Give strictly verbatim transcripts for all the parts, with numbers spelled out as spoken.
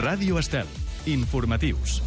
Ràdio Estel. Informatius.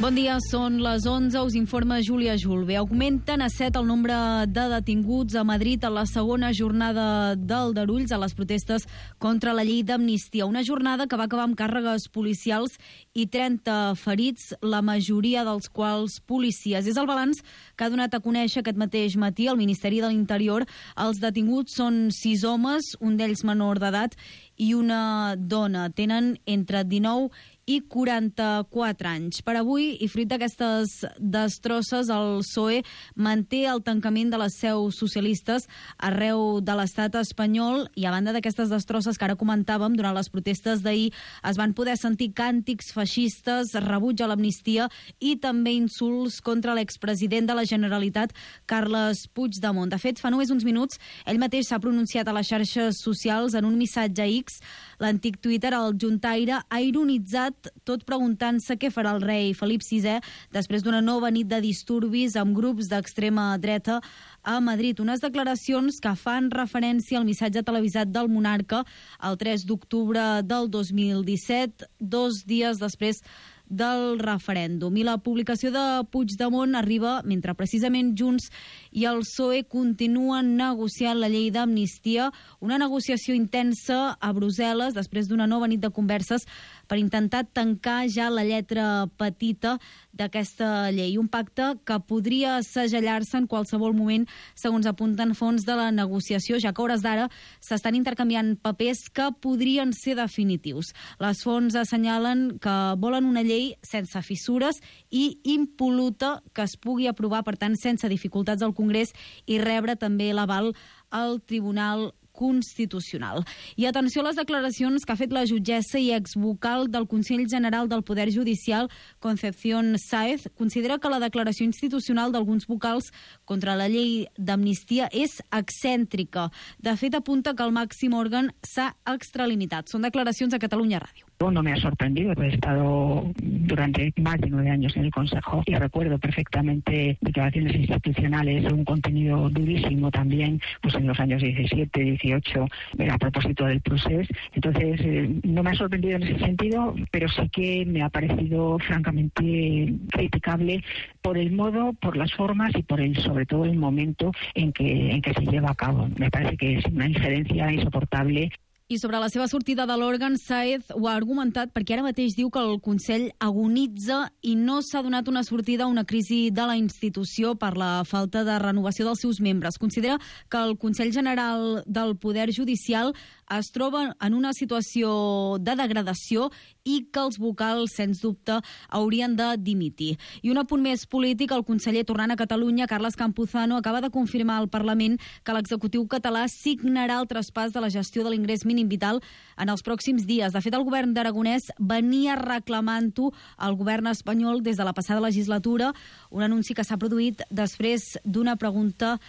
Bon dia, són les onze, us informa Júlia Julve. Augmenten a set el nombre de detinguts a Madrid a la segona jornada d'Aldarulls a les protestes contra la llei d'amnistia. Una jornada que va acabar amb càrregues policials i trenta ferits, la majoria dels quals policies. És el balanç que ha donat a conèixer aquest mateix matí el Ministeri de l'Interior. Els detinguts són sis homes, un d'ells menor d'edat i una dona. Tenen entre dinou i quaranta-quatre anys. Per avui, i fruit d'aquestes destrosses, el P S O E manté el tancament de les seus socialistes arreu de l'estat espanyol, i a banda d'aquestes destrosses que ara comentàvem, durant les protestes d'ahir es van poder sentir càntics feixistes, rebuig a l'amnistia i també insults contra l'expresident de la Generalitat, Carles Puigdemont. De fet, fa només uns minuts, ell mateix s'ha pronunciat a les xarxes socials en un missatge a X. L'antic Twitter, el juntaire, ha ironitzat tot preguntant-se què farà el rei Felip sisè després d'una nova nit de disturbis amb grups d'extrema dreta a Madrid. Unes declaracions que fan referència al missatge televisat del monarca el tres d'octubre del dos mil disset, dos dies després del referèndum. I la publicació de Puigdemont arriba mentre precisament Junts i el P S O E continuen negociant la llei d'amnistia, una negociació intensa a Brussel·les després d'una nova nit de converses per intentar tancar ja la lletra petita d'aquesta llei. Un pacte que podria segellar-se en qualsevol moment, segons apunten fons de la negociació, ja que a hores d'ara s'estan intercanviant papers que podrien ser definitius. Les fonts assenyalen que volen una llei sense fissures i impol·luta que es pugui aprovar, per tant, sense dificultats al Congrés i rebre també l'aval al Tribunal Constitucional. I atenció a les declaracions que ha fet la jutgessa i exvocal del Consell General del Poder Judicial, Concepción Sáez. Considera que la declaració institucional d'alguns vocals contra la llei d'amnistia és excèntrica. De fet, apunta que el màxim òrgan s'ha extralimitat. Són declaracions a Catalunya Ràdio. No me ha sorprendido, he estado durante más de nueve años en el Consejo y recuerdo perfectamente declaraciones institucionales, un contenido durísimo también, pues en los años diecisiete, dieciocho, a propósito del procés. Entonces, eh, no me ha sorprendido en ese sentido, pero sí que me ha parecido francamente criticable por el modo, por las formas y por el, sobre todo, el momento en que, en que se lleva a cabo. Me parece que es una injerencia insoportable. I sobre la seva sortida de l'òrgan, Sáez ho ha argumentat perquè ara mateix diu que el Consell agonitza i no s'ha donat una sortida a una crisi de la institució per la falta de renovació dels seus membres. Considera que el Consell General del Poder Judicial es troba en una situació de degradació i que els vocals, sens dubte, haurien de dimitir. I un apunt més polític, el conseller tornant a Catalunya, Carles Campuzano, acaba de confirmar al Parlament que l'executiu català signarà el traspàs de la gestió de l'ingrés mínim vital en els pròxims dies. De fet, el govern d'Aragonès venia reclamant-ho al govern espanyol des de la passada legislatura, un anunci que s'ha produït després d'una pregunta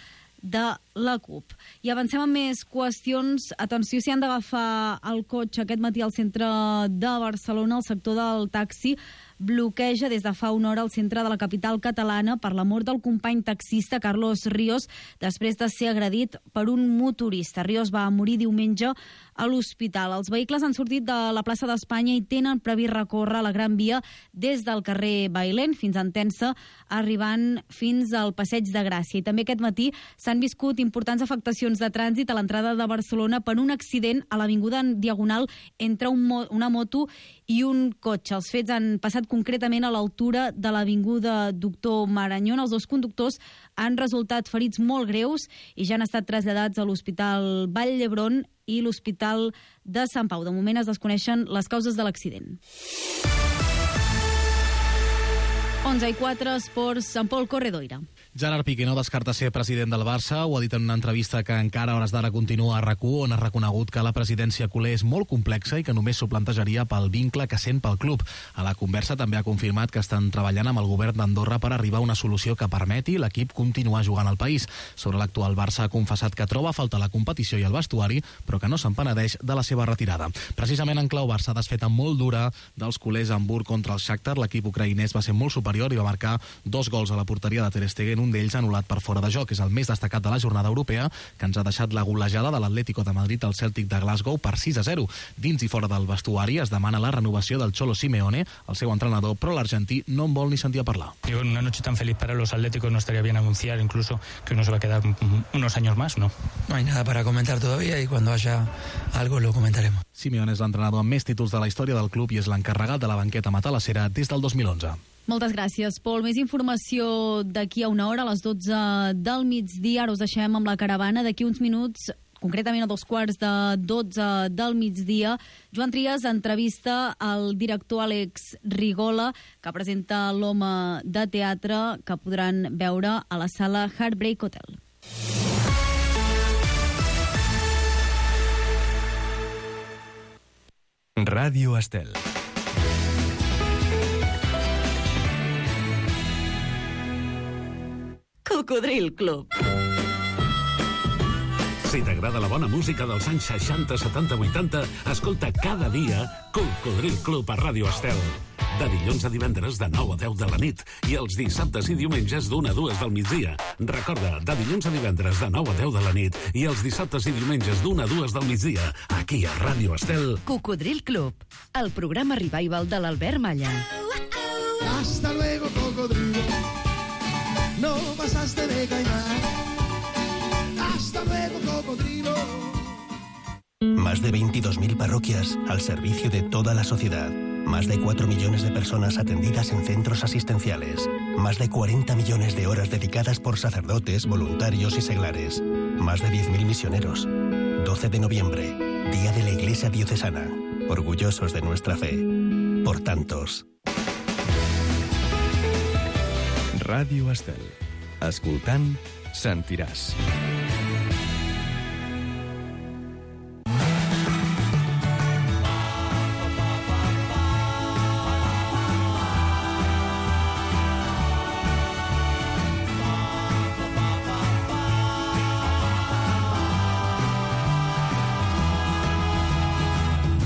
de la CUP. I avancem amb més qüestions. Atenció, si han d'agafar el cotxe aquest matí al centre de Barcelona, el sector del taxi bloqueja des de fa una hora al centre de la capital catalana per la mort del company taxista Carlos Ríos després de ser agredit per un motorista. Ríos va morir diumenge a l'hospital. Els vehicles han sortit de la plaça d'Espanya i tenen previst recórrer la Gran Via des del carrer Bailén fins a Entença, arribant fins al Passeig de Gràcia. I també aquest matí s'han viscut importants afectacions de trànsit a l'entrada de Barcelona per un accident a l'avinguda en Diagonal entre un mo- una moto i un cotxe. Els fets han passat concretament a l'altura de l'avinguda Doctor Marañón. Els dos conductors han resultat ferits molt greus i ja han estat traslladats a l'Hospital Vall d'Hebron i l'Hospital de Sant Pau. De moment es desconeixen les causes de l'accident. onze i quatre, esports, amb Pol Corredoira. Gerard Piqué no descarta ser president del Barça, ho ha dit en una entrevista que encara a hores d'ara continua a RAC u, on ha reconegut que la presidència culer és molt complexa i que només s'ho plantejaria pel vincle que sent pel club. A la conversa també ha confirmat que estan treballant amb el govern d'Andorra per arribar a una solució que permeti l'equip continuar jugant al país. Sobre l'actual Barça ha confessat que troba a faltar la competició i el vestuari, però que no se'n penedeix de la seva retirada. Precisament en clau Barça ha desfeta molt dura dels culers a Hamburg contra el Shakhtar. L'equip ucraïnès va ser molt superior i va marcar dos gols a la porteria de Ter Stegen, un d'ells anul·lat per fora de joc. És el més destacat de la jornada europea, que ens ha deixat la golejada de l'Atlético de Madrid al Celtic de Glasgow per sis a zero. Dins i fora del vestuari es demana la renovació del Cholo Simeone, el seu entrenador, però l'argentí no en vol ni sentir a parlar. Digo, en una noche tan feliz para los atléticos no estaría bien anunciar incluso que uno se va a quedar unos años más, ¿no? No hay nada para comentar todavía y cuando haya algo lo comentaremos. Simeone és l'entrenador amb més títols de la història del club i és l'encarregat de la banqueta matalassera des del dos mil onze. Moltes gràcies, Pol. Més informació d'aquí a una hora, a les dotze del migdia. Ara us deixem amb la caravana. D'aquí uns minuts, concretament a dos quarts de dotze del migdia, Joan Trias entrevista al director Àlex Rigola, que presenta l'Home de Teatre, que podran veure a la sala Heartbreak Hotel. Ràdio Estel. Cocodril Club. Si t'agrada la bona música dels anys seixanta, setanta, vuitanta, escolta cada dia Cocodril Club a Ràdio Estel. De dilluns a divendres de nou a deu de la nit i els dissabtes i diumenges d'una a dues del migdia. Recorda, de dilluns a divendres de nou a deu de la nit i els dissabtes i diumenges d'una a dues del migdia, aquí a Ràdio Estel. Cocodril Club, el programa revival de l'Albert Malla. Hasta luego, cocodrilo. No pasaste de caimán. Hasta luego, cocodrilo. Más de veintidós mil parroquias al servicio de toda la sociedad. Más de cuatro millones de personas atendidas en centros asistenciales. Más de cuarenta millones de horas dedicadas por sacerdotes, voluntarios y seglares. Más de diez mil misioneros. doce de noviembre, Día de la Iglesia Diocesana. Orgullosos de nuestra fe. Por tantos. Ràdio Estel. Escoltant, sentiràs.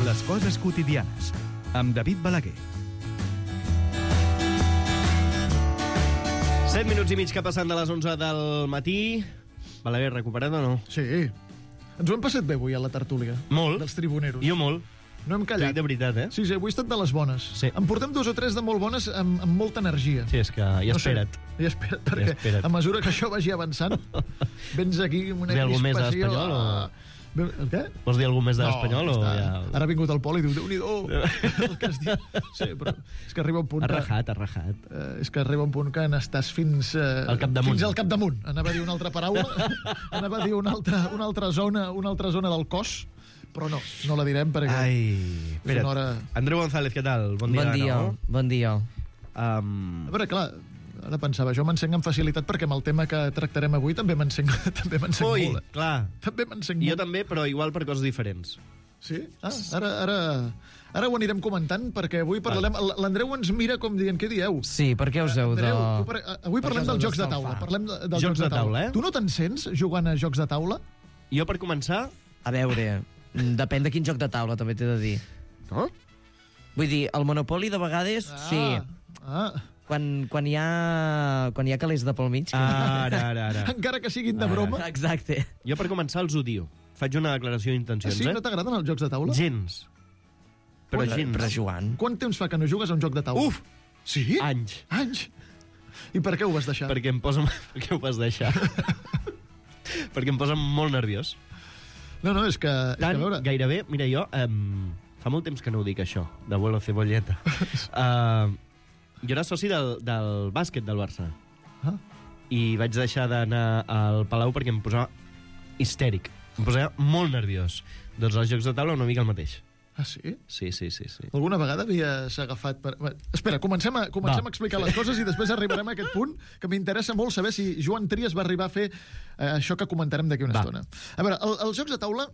Les coses quotidianes, amb David Balaguer. set minuts i mig que passen de les onze del matí. Balaguer, recuperat o no? Sí. Ens ho hem passat bé avui a la tertúlia. Molt. Dels tribuneros. Jo molt. No hem callat. Dic de veritat, eh? Sí, sí, avui he estat de les bones. Sí. En portem dos o tres de molt bones amb, amb molta energia. Sí, és que ja espera't. No sé, ja espera't, perquè ja espera't. a mesura que això vagi avançant, vens aquí amb una Ve algú més de crispació... l'Espanyol o...? El què? Vols dir alguna més de no, l'Espanyol? O ja... Ara ha vingut el Pol i diu, Déu-n'hi-do, el que has dit. Sí, però és que arriba un punt... Ha rajat, ha rajat. Eh, és que arriba un punt que n'estàs fins... Eh, al capdamunt. Fins al capdamunt. Anava a dir una altra paraula, anava a dir una altra, una altra zona, una altra zona del cos, però no, no la direm perquè... Ai, espera't. Hora... Andreu González, què tal? Bon dia, bon dia, no? Bon dia. Um... A veure, clar, ara pensava, jo m'encenc amb facilitat perquè amb el tema que tractarem avui també m'encenc també m'encenc Ui, molt. Eh? clar. També m'encenc Jo molt. també, però igual per coses diferents. Sí? Ah, ara, ara, ara ho anirem comentant perquè avui parlarem... L'Andreu ens mira com dient, què dieu? Sí, per què us heu de... Andreu, avui parlem dels jocs de taula. Parlem de, dels jocs de taula, eh? Tu no te'n sents jugant a jocs de taula? Jo, per començar... A veure, depèn de quin joc de taula, també t'he de dir. No? Vull dir, el Monopoly de vegades, Ah, sí. Ah. Quan, quan, hi ha, quan hi ha calés de pel mig. Ara, ara, ara. Encara que siguin de broma. Exacte. Jo, per començar, els odio. Faig una declaració d'intencions, Ah, sí? eh? No t'agraden els jocs de taula? Gens. Però Però, gens. però Joan... Quant temps fa que no jugues a un joc de taula? Uf! Sí? Anys. Anys? I per què ho vas deixar? Perquè em posa... Per què ho vas deixar? Perquè em posa molt nerviós. No, no, és que... És Tant, que a veure... gairebé... Mira, jo... Um, fa molt temps que no ho dic, això, d'abuelo cebolleta. uh, jo era soci del, del bàsquet del Barça. Ah. I vaig deixar d'anar al Palau perquè em posava histèric. Em posava molt nerviós. Doncs els jocs de taula una mica el mateix. Ah, sí? Sí, sí, sí. sí. Alguna vegada havies agafat... Per... Espera, comencem, a, comencem a explicar les coses i després arribarem a aquest punt que m'interessa molt saber si Joan Trias va arribar a fer eh, això que comentarem d'aquí una Va. estona. A veure, el, els jocs de taula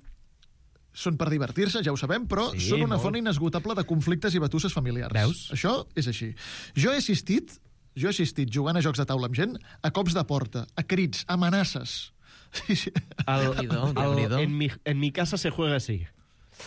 són per divertir-se, ja ho sabem, però Sí, són una molt. font inesgotable de conflictes i batusses familiars. Veus? Això és així. Jo he assistit, jo he assistit jugant a jocs de taula amb gent a cops de porta, a crits, a amenaces. Sí, sí. El, Déu-n'hi-do, el, Déu-n'hi-do. en, mi, en mi casa se juega así.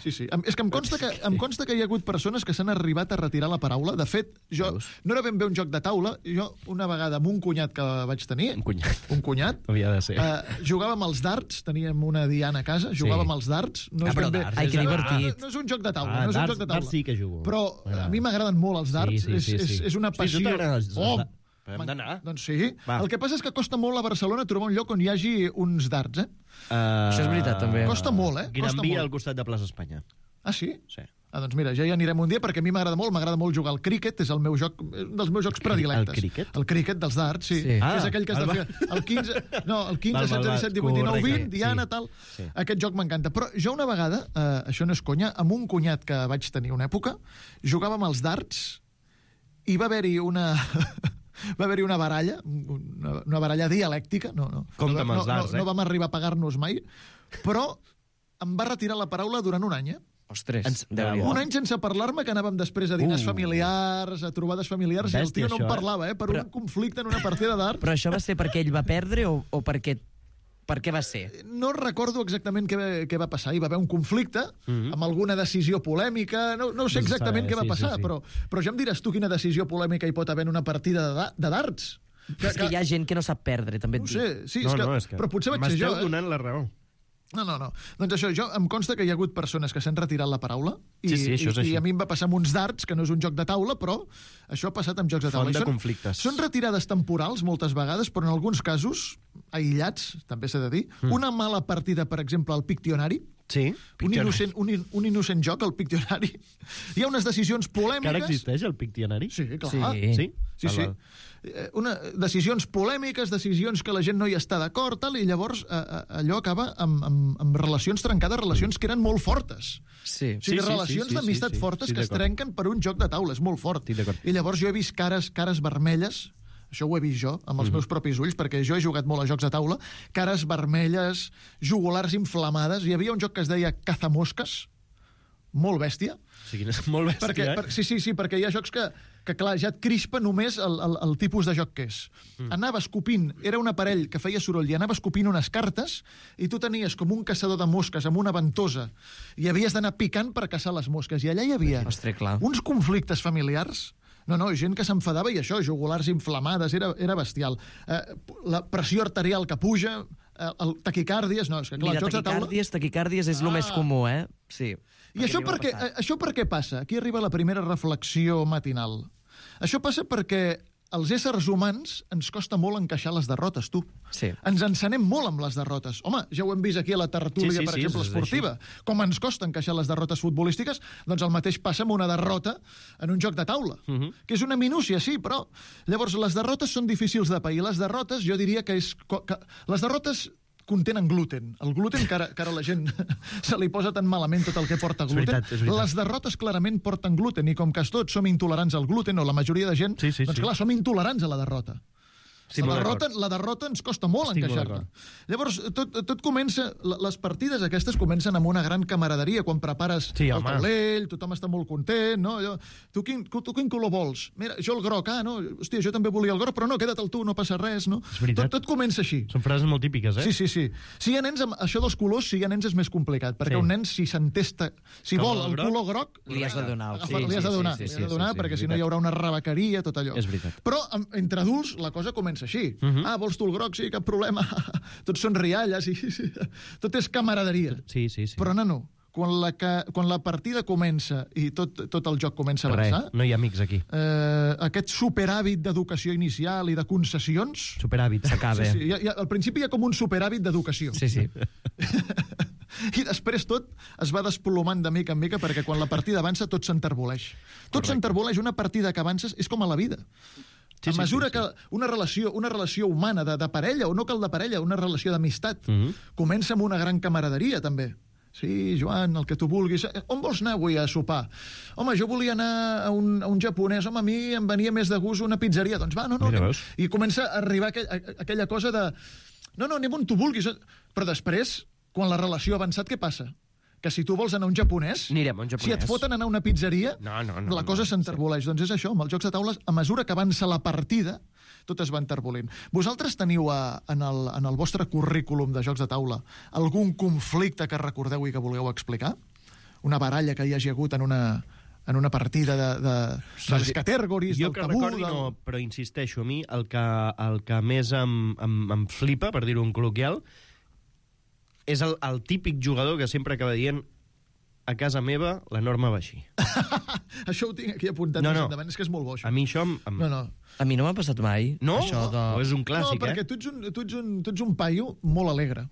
Sí, sí. Em- És que em consta que, em consta que hi ha hagut persones que s'han arribat a retirar la paraula. De fet, jo no era ben bé un joc de taula. Jo, una vegada, amb un cunyat que vaig tenir... Un cunyat. Un cunyat. Havia de ser. Eh, jugàvem als darts, teníem una Diana a casa, jugàvem Sí. als darts. No Ah, és però ben bé... darts Ai, que és- divertit. No, no és un joc de taula. Ah, no és un darts- joc de taula. darts sí que jugo. Però M'agrada. a mi m'agraden molt els darts. Sí, sí, sí, és, sí. és, és una Hosti, a tu passió... t'agraden els- els Oh! darts. Però hem d'anar. Doncs sí. Va. El que passa és que costa molt a Barcelona trobar un lloc on hi hagi uns darts, eh? Uh, Això és veritat, també. Costa molt, eh? Gran Costa Via molt. al costat de Plaça Espanya. Ah, sí? Sí. Ah, doncs mira, ja hi anirem un dia perquè a mi m'agrada molt, m'agrada molt jugar al críquet, és el meu joc, un dels meus jocs predilectes. El críquet? El críquet dels darts, sí. Sí. Ah, Ah, és aquell que has el de va- fer el quinze, no, el quinze, Val, val, setze, val. disset, divuit, dinou, Correcte, vint, Diana, sí. tal. Sí. Aquest joc m'encanta. Però jo una vegada, eh, això no és conya, amb un cunyat que vaig tenir una època, jugàvem als darts i va haver-hi una... va haver-hi una baralla, una, una baralla dialèctica, no, no, Compte no, amb els no, darts, no, eh? no vam arribar a pagar-nos mai, però em va retirar la paraula durant un any, eh? Ostres, Ens- Déu-n'hi-do. Un any sense parlar-me, que anàvem després a diners Uh. familiars, a trobades familiars, i el Bèstia, tio no això, em eh? parlava, eh? Per Però- un conflicte en una partida d'art. Però això va ser perquè ell va perdre o, o perquè... Per què va ser? No recordo exactament què, va- què va passar. Hi va haver un conflicte Mhm. amb alguna decisió polèmica. No, no sé No se exactament sabe, què va sí, sí, passar, sí. Però, però ja em diràs tu quina decisió polèmica hi pot haver en una partida de, da- de darts. És que hi ha gent que no sap perdre, també et No ho dic. sé, sí, no, és que, no, és que però potser vaig ser m'esteu jo, eh? donant la raó. No, no, no. Doncs això, jo em consta que hi ha hagut persones que s'han retirat la paraula i, Sí, sí, això és i, així. i a mi em va passar amb uns darts, que no és un joc de taula, però això ha passat amb jocs de taula. Font I de són, conflictes. Són retirades temporals moltes vegades, però en alguns casos, aïllats, també s'ha de dir, mm. una mala partida, per exemple, al Pictionari, Sí, un innocent, un, in- un innocent joc, al Pictionari, hi ha unes decisions polèmiques... Que ara existeix el Pictionari? Sí, clar. Sí. Sí? Sí, sí. Val, val. Eh, Una, decisions polèmiques, decisions que la gent no hi està d'acord, tal, i llavors eh, eh, allò acaba amb, amb, amb relacions trencades, relacions que eren molt fortes. Sí. O sigui, Sí, sí, relacions sí, sí, d'amistat sí, sí. fortes Sí, que es d'acord. trenquen per un joc de taula, és molt fort. Estic d'acord. I llavors jo he vist cares, cares vermelles, això ho he vist jo, amb els Mhm. meus propis ulls, perquè jo he jugat molt a jocs de taula, cares vermelles, jugulars inflamades, hi havia un joc que es deia Cazamosques, molt bèstia, O sigui, és molt bèstia, perquè, eh? per, sí, sí, sí, perquè hi ha jocs que, que clar, ja et crispa només el, el, el tipus de joc que és. Mm. Anava escopint, era un aparell que feia soroll i anava escopint unes cartes i tu tenies com un caçador de mosques amb una ventosa i havies d'anar picant per caçar les mosques. I allà hi havia Ostres, clar. uns conflictes familiars. No, no, gent que s'enfadava i això, jugulars inflamades, era, era bestial. Eh, la pressió arterial que puja, eh, el taquicàrdies, no, és que clar, Mira, els jocs de taula... taquicàrdies, taquicàrdies és el Ah. més comú, eh? Sí. I això per, què, això per què passa? Aquí arriba la primera reflexió matinal. Això passa perquè als éssers humans ens costa molt encaixar les derrotes, tu. Sí. Ens encenem molt amb les derrotes. Home, ja ho hem vist aquí a la tertúlia, Sí, sí, per sí, exemple, és esportiva. Com ens costa encaixar les derrotes futbolístiques, doncs el mateix passa amb una derrota en un joc de taula, uh -huh. que és una minúcia, sí, però llavors les derrotes són difícils de pair. Les derrotes, jo diria que és... Que les derrotes contenen gluten. El gluten, que ara, que ara la gent se li posa tan malament tot el que porta És gluten. veritat, és veritat. Les derrotes clarament porten gluten, i com que tots som intolerants al gluten, o la majoria de gent, Sí, sí, doncs sí. clar, som intolerants a la derrota. Sí, la, molt derrota, d'acord. la derrota ens costa molt Estic molt encaixar-la. d'acord. Llavors, tot, tot comença... la- Les partides aquestes comencen amb una gran camaraderia, quan prepares Sí, el home. taulell, tothom està molt content, no? Allò, tu, quin, tu quin color vols? Mira, jo el groc, ah, no? Hòstia, jo també volia el groc, però no, queda't el tu, no passa res, no? És veritat. Tot, tot comença així. Són frases molt típiques, eh? Sí, sí, sí. Si hi ha nens, amb això dels colors, si hi ha nens és més complicat, perquè Sí. un nen, si s'entesta... Si Com vol el el groc, color groc... li has de donar. Agafa, Sí, li has de sí, donar, sí, li sí, has de sí, donar sí, perquè és si no hi veritat. haurà una rebequeria, tot allò. És veritat. Però amb, entre adults la cosa comença així. Mhm. Ah, vols tu el groc? Sí, cap problema. Tots són rialles i sí, tot és camaraderia. Sí, sí, sí. Però, nano, quan la, que, quan la partida comença i tot, tot el joc comença a Res, avançar, no hi ha amics aquí. eh, aquest superàvit d'educació inicial i de concessions... Superàvit. S'acaba. Sí, sí, hi ha, hi ha, al principi hi ha com un superàvit d'educació. Sí, sí. I després tot es va desplomant de mica en mica perquè quan la partida avança tot s'enterboleix. Tot s'enterboleix. Una partida que avances és com a la vida. Sí, A sí, mesura sí, sí. que una relació, una relació humana de, de parella, o no cal de parella, una relació d'amistat, Mhm. comença amb una gran camaraderia, també. Sí, Joan, el que tu vulguis. Eh, On vols anar avui a sopar? Home, jo volia anar a un, a un japonès. Home, a mi em venia més de gust una pizzeria. Doncs va, no, no. Mira, anem. veus? I comença a arribar aquell, a, aquella cosa de... No, no, anem on tu vulguis. Però després, quan la relació ha avançat, què passa? Que si tu vols anar a un japonès, Anirem a un si japonès. et foten anar a una pizzeria, No, no, no, la cosa no, s'enterboleix. Doncs és això, amb els jocs de taules, a mesura que avança la partida, tot es va enterbolint. Vosaltres teniu a, en, el, en el vostre currículum de jocs de taula algun conflicte que recordeu i que vulgueu explicar? una baralla que hi hagi hagut en una, en una partida de, de, de les categories, jo del que tabú... recordi del... no, però insisteixo, a mi el que, el que més em, em, em flipa, per dir-ho en col·loquial, és el, el típic jugador que sempre acaba dient a casa meva la norma va així. Això ho tinc aquí apuntat no, més no. endavant, és que és molt bo, això. A mi això... Em... No, no. A mi no m'ha passat mai. No? Això de... O és un clàssic, no, perquè eh? tu ets un, tu, ets un, tu ets un paio molt alegre.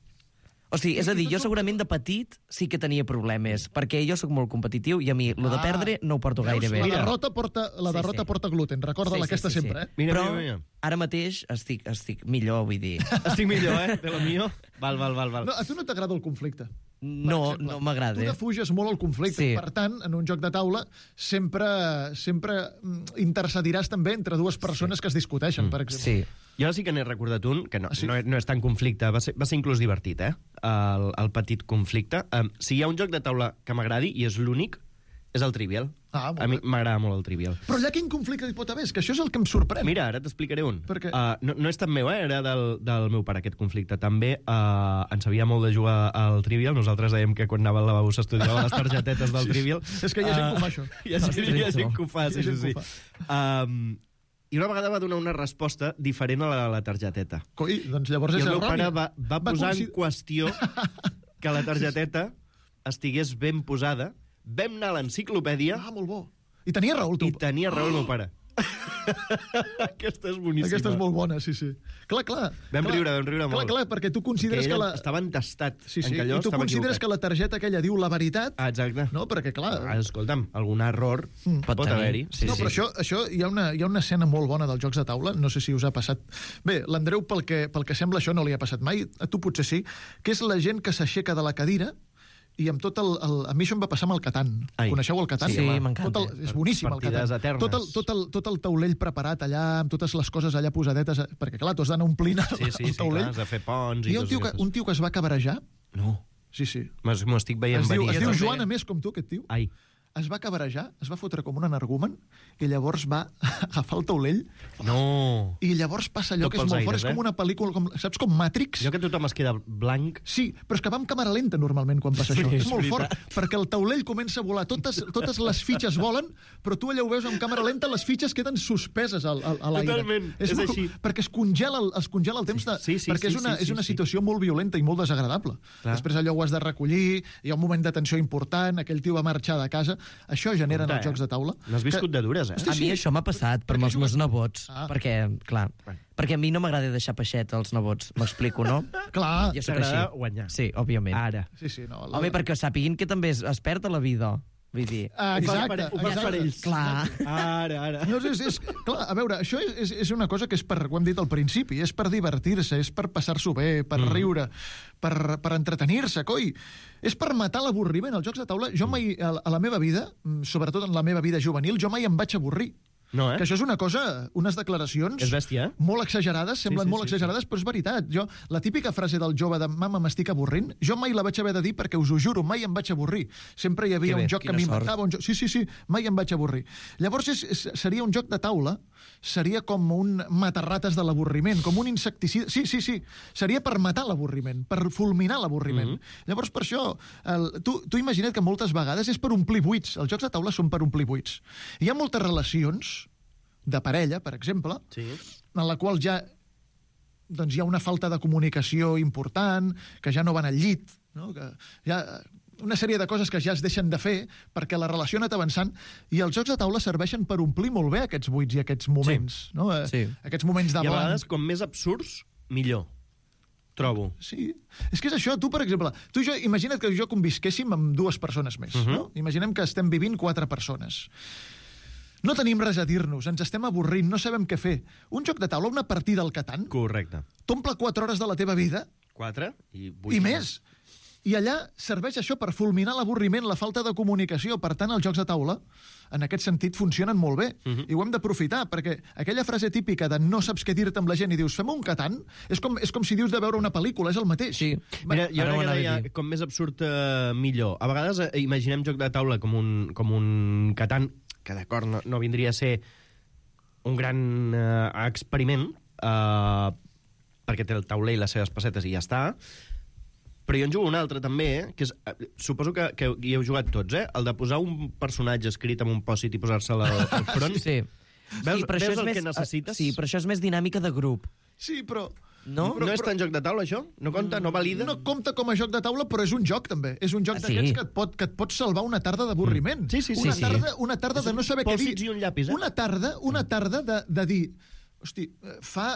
O sigui, és a dir, jo segurament de petit sí que tenia problemes, perquè jo sóc molt competitiu i a mi lo de perdre no ho porto Veus? gaire bé. La derrota porta, la Sí, derrota sí. porta gluten, recorda-la Sí, sí, aquesta sí, sempre, sí. eh? Mira, Però mira, mira. ara mateix estic, estic millor, vull dir. Estic millor, eh? De lo mío. Val, val, val, val. No, a tu no t'agrada el conflicte? No, no m'agrada. Tu defuges molt el conflicte. Sí. Per tant, en un joc de taula sempre, sempre mm, intercediràs també entre dues persones que es discuteixen, per exemple. Sí. Jo sí que n'he recordat un, que no, Ah, sí? no, no és tan conflicte, va ser, va ser inclús divertit, eh? El, el petit conflicte. Um, si hi ha un joc de taula que m'agradi, i és l'únic, és el Trivial. Ah, molt a mi bé. m'agrada molt el Trivial. Però allà quin conflicte hi pot haver? És que això és el que em sorprèn. Mira, ara t'explicaré un. Per què? Uh, no, no és tan meu, eh? Era del, del meu pare, aquest conflicte. També uh, ens sabia molt de jugar al Trivial. Nosaltres dèiem que quan anava al lavabo s'estudiava les targetetes del Sí, Trivial. és que hi ha gent que ho fa, això. Hi ha, gent, hi ha gent que ho fa, Hi ha sí, gent sí, que ho sí. Um, I una vegada va donar una resposta diferent a la, a la targeteta. Coi, doncs llavors I és el meu errònia. pare va, va posar consider- en qüestió que la targeteta estigués ben posada. Vam anar a l'enciclopèdia... Ah, molt bo. I tenia raó el teu... I tenia raó el meu pare. Aquesta és boníssima. Aquesta és molt bona, sí, sí. Clar, clar. Vam clar, riure, vam riure clar, molt. Clar, perquè tu consideres que que, ell la... estava entestat Sí, sí, en que allò i tu estava consideres equivocat. que la targeta aquella diu la veritat, Ah, exacte. no? Perquè, clar... Ah, escolta'm, algun error Mm. pot, pot haver-hi. Sí, no, sí. però això, això hi, ha una, hi ha una escena molt bona dels jocs de taula, no sé si us ha passat... Bé, l'Andreu, pel que, pel que sembla, això no li ha passat mai, a tu potser sí, que és la gent que s'aixeca de la cadira i amb tot el, el... A mi això em va passar amb el Catan. Ai. Coneixeu el Catan? Sí, Home, m'encanta. tot el- És boníssim, el Partides Catan. eternes. Tot el, tot, el, tot el taulell preparat allà, amb totes les coses allà posadetes, perquè, clar, tu has d'anar omplint el, Sí, sí, el sí, taulell. clar, has de fer ponts i Hi ha un coses tio, que, d'aquestes. un tio que es va cabrejar. No, Sí, sí. m'ho estic veient Es diu, venir. es diu també. Joan, a més, com tu, aquest tio. Ai, Es va cabrejar, es va fotre com un energumen, i llavors va agafar el taulell, no. i llavors passa allò Tot que és pels molt fort, aires, és com eh? una pel·lícula, com, saps, com Matrix? Jo que tothom es queda blanc... Sí, però és que va amb càmera lenta normalment quan passa Sí, això. és És molt veritat. fort, perquè el taulell comença a volar, totes, totes les fitxes volen, però tu allà ho veus amb càmera lenta, les fitxes queden suspeses al, al, a l'aire. Totalment, és molt, així. Perquè es congela el, es congela el temps, de, Sí, sí, perquè sí, és una, sí, és una sí, sí. situació molt violenta i molt desagradable. Clar. Després allò ho has de recollir, hi ha un moment de tensió important, aquell tio va marxar de casa, això genera en Compte, els jocs eh? de taula. N'has viscut de dures, eh? Hosti, A mi sí. això m'ha passat, però amb els meus nebots. Ah. Perquè, clar, perquè a mi no m'agrada deixar peixet als nebots, m'explico, no? Clar. Jo sóc T'agrada així. guanyar. Sí, òbviament. Ara. Sí, sí, no. Home, perquè sàpiguin que també es, es perd a la vida. Vull dir... Ah, Ho fas exacte. per- ho fas per exacte. ells. Clar. Ara, ara. No, és, és, clar, a veure, això és, és, és una cosa que és per, ho hem dit al principi, és per divertir-se, és per passar-s'ho bé, per mm. riure, per, per entretenir-se, coi. És per matar l'avorriment. Els jocs de taula, jo mai, a, a la meva vida, mm, sobretot en la meva vida juvenil, jo mai em vaig avorrir. No, eh? Que això és una cosa, unes declaracions... És bèstia, eh? Molt exagerades, semblen sí, molt sí, exagerades, però és veritat. Jo, la típica frase del jove de mama, m'estic avorrint, jo mai la vaig haver de dir perquè us ho juro, mai em vaig avorrir. Sempre hi havia Que bé, un joc que quina m'inventava, un joc... Sí, sí, sí, mai em vaig avorrir. Llavors és, és, seria un joc de taula, seria com un matarrates de l'avorriment, com un insecticida... Sí, sí, sí, seria per matar l'avorriment, per fulminar l'avorriment. Mhm. Llavors, per això, el, tu, tu imagina't que moltes vegades és per omplir buits. Els jocs de taula són per omplir buits. Hi ha moltes relacions de parella, per exemple, Sí. en la qual ja doncs hi ha una falta de comunicació important, que ja no van al llit, no? Que hi ha una sèrie de coses que ja es deixen de fer perquè la relació ha anat avançant, i els jocs de taula serveixen per omplir molt bé aquests buits i aquests moments. Sí. No? Eh, Sí. Aquests moments de I a blanc. vegades, com més absurds, millor. Trobo. Sí, és que és això. Tu, per exemple, tu i jo, imagina't que jo convisquéssim amb dues persones més. Mhm. No? Imaginem que estem vivint quatre persones. No tenim res a dir-nos, ens estem avorrint, no sabem què fer. Un joc de taula, una partida al Catan, Correcte. t'omple quatre hores de la teva vida Quatre i vuit. i més. I allà serveix això per fulminar l'avorriment, la falta de comunicació. Per tant, els jocs de taula, en aquest sentit, funcionen molt bé. Mhm. I ho hem d'aprofitar, perquè aquella frase típica de no saps què dir-te amb la gent i dius fem un Catan, és com, és com si dius de veure una pel·lícula, és el mateix. Sí. Mira, jo Ara ho crec que anava a deia, dir. com més absurd, eh, millor. A vegades eh, imaginem joc de taula com un, com un Catan, que d'acord, no, no vindria a ser un gran eh, experiment, eh, perquè té el tauler i les seves pessetes i ja està, Però jo en jugo un altre, també, eh? Que és, suposo que, que hi heu jugat tots, eh? El de posar un personatge escrit amb un pòsit i posar-se'l al, al front. Sí. Veus, sí, però veus això és el més, que necessites? Sí, però això és més dinàmica de grup. Sí, però... No? Però, no és tan joc de taula, això? No compta, no valida? No compta com a joc de taula, però és un joc, també. És un joc Ah, sí? d'aquests que, et pot, que et pot salvar una tarda d'avorriment. Sí, sí, sí. Una sí, tarda, sí. una tarda de no saber què dir. Pòsits i un llapis, eh? Una tarda, una tarda de, de dir... Hosti, fa...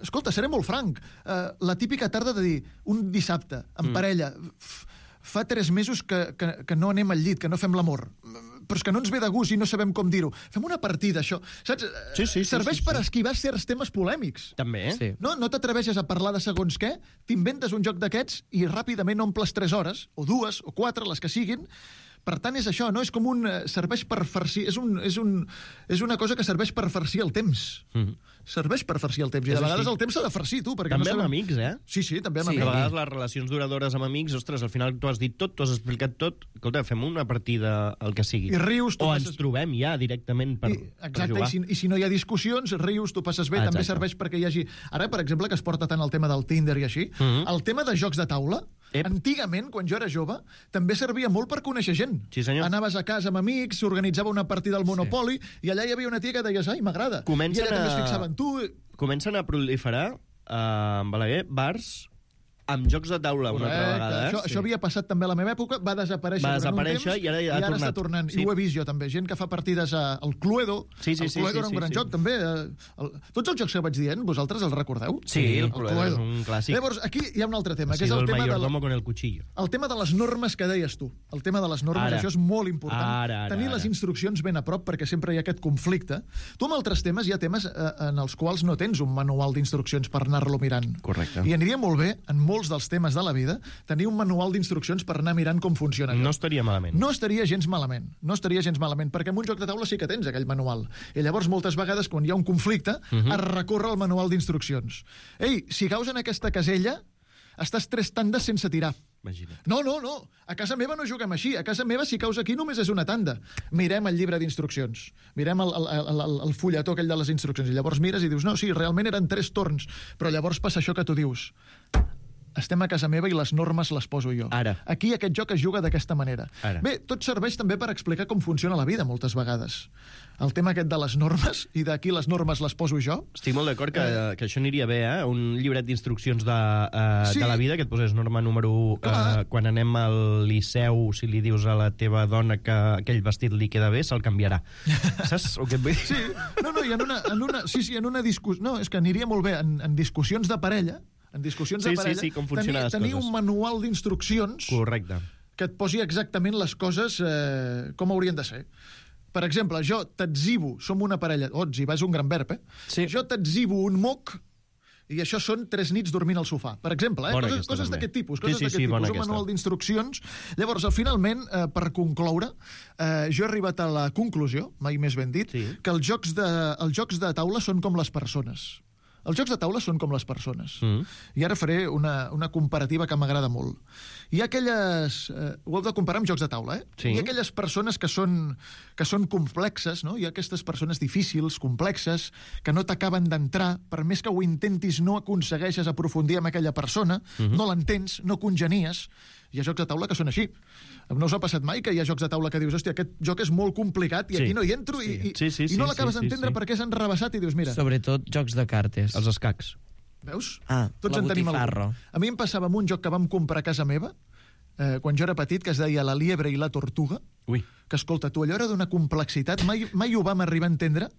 Escolta, seré molt franc. Uh, la típica tarda de dir, un dissabte, en Mm. parella, f- fa tres mesos que, que, que no anem al llit, que no fem l'amor, però és que no ens ve de gust i no sabem com dir-ho. Fem una partida, això. Saps? Sí, sí, sí, Serveix sí, sí. per esquivar certs temes polèmics. També, eh? Sí. No, no t'atreveixes a parlar de segons què, t'inventes un joc d'aquests i ràpidament omples tres hores, o dues, o quatre, les que siguin. Per tant, és això, no? És com un... eh, serveix per farcir... És, un, és, un, és una cosa que serveix per farcir el temps. Mhm. Serveix per farcir el temps. I És de vegades així. el temps s'ha de farcir, tu. Perquè També no amb sabem... amics, eh? Sí, sí, també amb Sí. Que a amics. vegades les relacions duradores amb amics, ostres, al final tu has dit tot, tu has explicat tot. Escolta, fem una partida, el que sigui. I rius, tu o passes- ens trobem ja directament per, I, per exacte, jugar. i si, i si no hi ha discussions, rius, tu passes bé, Ah, també exacte. serveix perquè hi hagi... Ara, per exemple, que es porta tant el tema del Tinder i així, Mhm. el tema de jocs de taula, Ep. antigament, quan jo era jove, també servia molt per conèixer gent. Sí, senyor. Anaves a casa amb amics, s'organitzava una partida al Monopoly, i allà hi havia una tia que deies, ai, m'agrada. I Comencen ella també a- es fixava en tu. Comencen a proliferar eh, en Balaguer bars amb jocs de taula una altra Correcte. vegada. Eh? Això, això havia passat també a la meva època, va desaparèixer Va durant un desaparèixer temps, i ara ja ha i ara tornat. està tornant. Sí. I ho he vist jo també, gent que fa partides a, al Cluedo. Sí, sí, el sí, Cluedo sí, era un sí, gran sí. joc també. eh, El, tots els jocs que vaig dient, vosaltres els recordeu? Sí, el Cluedo és un clàssic. Llavors, aquí hi ha un altre tema, Ha que és sido el el tema, de la, mayordomo con el cuchillo. el tema de les normes que deies tu. El tema de les normes, Ara. això és molt important. Ara, ara, Tenir ara. les instruccions ben a prop, perquè sempre hi ha aquest conflicte. Tu amb altres temes hi ha temes eh, en els quals no tens un manual d'instruccions per anar-lo mirant. Correcte. I aniria molt bé, en molts dels temes de la vida, tenir un manual d'instruccions per anar mirant com funciona allò. No estaria malament. No estaria gens malament, no estaria gens malament, perquè en un joc de taula sí que tens aquell manual. I llavors, moltes vegades, quan hi ha un conflicte, uh Mhm. -huh. es recorre al manual d'instruccions. Ei, si caus en aquesta casella, estàs tres tandes sense tirar. Imagina't. No, no, no. A casa meva no juguem així. A casa meva, si caus aquí, només és una tanda. Mirem el llibre d'instruccions. Mirem el, el, el, el fulletó aquell de les instruccions. I llavors mires i dius, no, sí, realment eren tres torns. Però llavors passa això que tu dius. Estem a casa meva i les normes les poso jo. Ara. Aquí aquest joc es juga d'aquesta manera. Ara. Bé, tot serveix també per explicar com funciona la vida moltes vegades. El tema aquest de les normes i d'aquí les normes les poso jo. Estic molt d'acord que, eh. que això aniria bé, eh? Un llibret d'instruccions de, uh, Sí. de la vida que et posés norma número u. Uh, quan anem al Liceu, si li dius a la teva dona que aquell vestit li queda bé, se'l canviarà. Saps el que et vull dir? Sí, no, no, i en una, en una, sí, sí, en una discussió... No, és que aniria molt bé en, en discussions de parella, en discussions Sí, de sí, parella, sí, com funcionen tenir, les tenir coses. un manual d'instruccions Correcte. que et posi exactament les coses eh, com haurien de ser. Per exemple, jo t'etzibo, som una parella... Oh, etzibar és un gran verb, eh? Sí. Jo t'etzibo un moc i això són tres nits dormint al sofà. Per exemple, eh? Bona coses, aquesta, coses també. d'aquest tipus. Sí, Coses sí, d'aquest sí, tipus. bona Un aquesta. manual d'instruccions. Llavors, al finalment, eh, per concloure, eh, jo he arribat a la conclusió, mai més ben dit, Sí. que els jocs, de, els jocs de taula són com les persones. Els jocs de taula són com les persones. Mm. I ara faré una, una comparativa que m'agrada molt. Hi ha aquelles... Eh, ho heu de comparar amb jocs de taula, eh? Sí. Hi ha aquelles persones que són, que són complexes, no? Hi ha aquestes persones difícils, complexes, que no t'acaben d'entrar, per més que ho intentis no aconsegueixes aprofundir amb aquella persona, Mhm. no l'entens, no congenies. Hi ha jocs de taula que són així. No us ha passat mai que hi ha jocs de taula que dius, hòstia, aquest joc és molt complicat i Sí. aquí no hi entro i, i, Sí, sí, i sí, no sí, l'acabes sí, d'entendre sí. perquè és enrebaçat i dius, mira, Sobretot jocs de cartes. Els escacs. veus? Ah, Tots la en tenim botifarra. algun. A mi em passava amb un joc que vam comprar a casa meva, eh, quan jo era petit, que es deia La liebre i la tortuga, Ui. que, escolta, tu, allò era d'una complexitat, mai, mai ho vam arribar a entendre,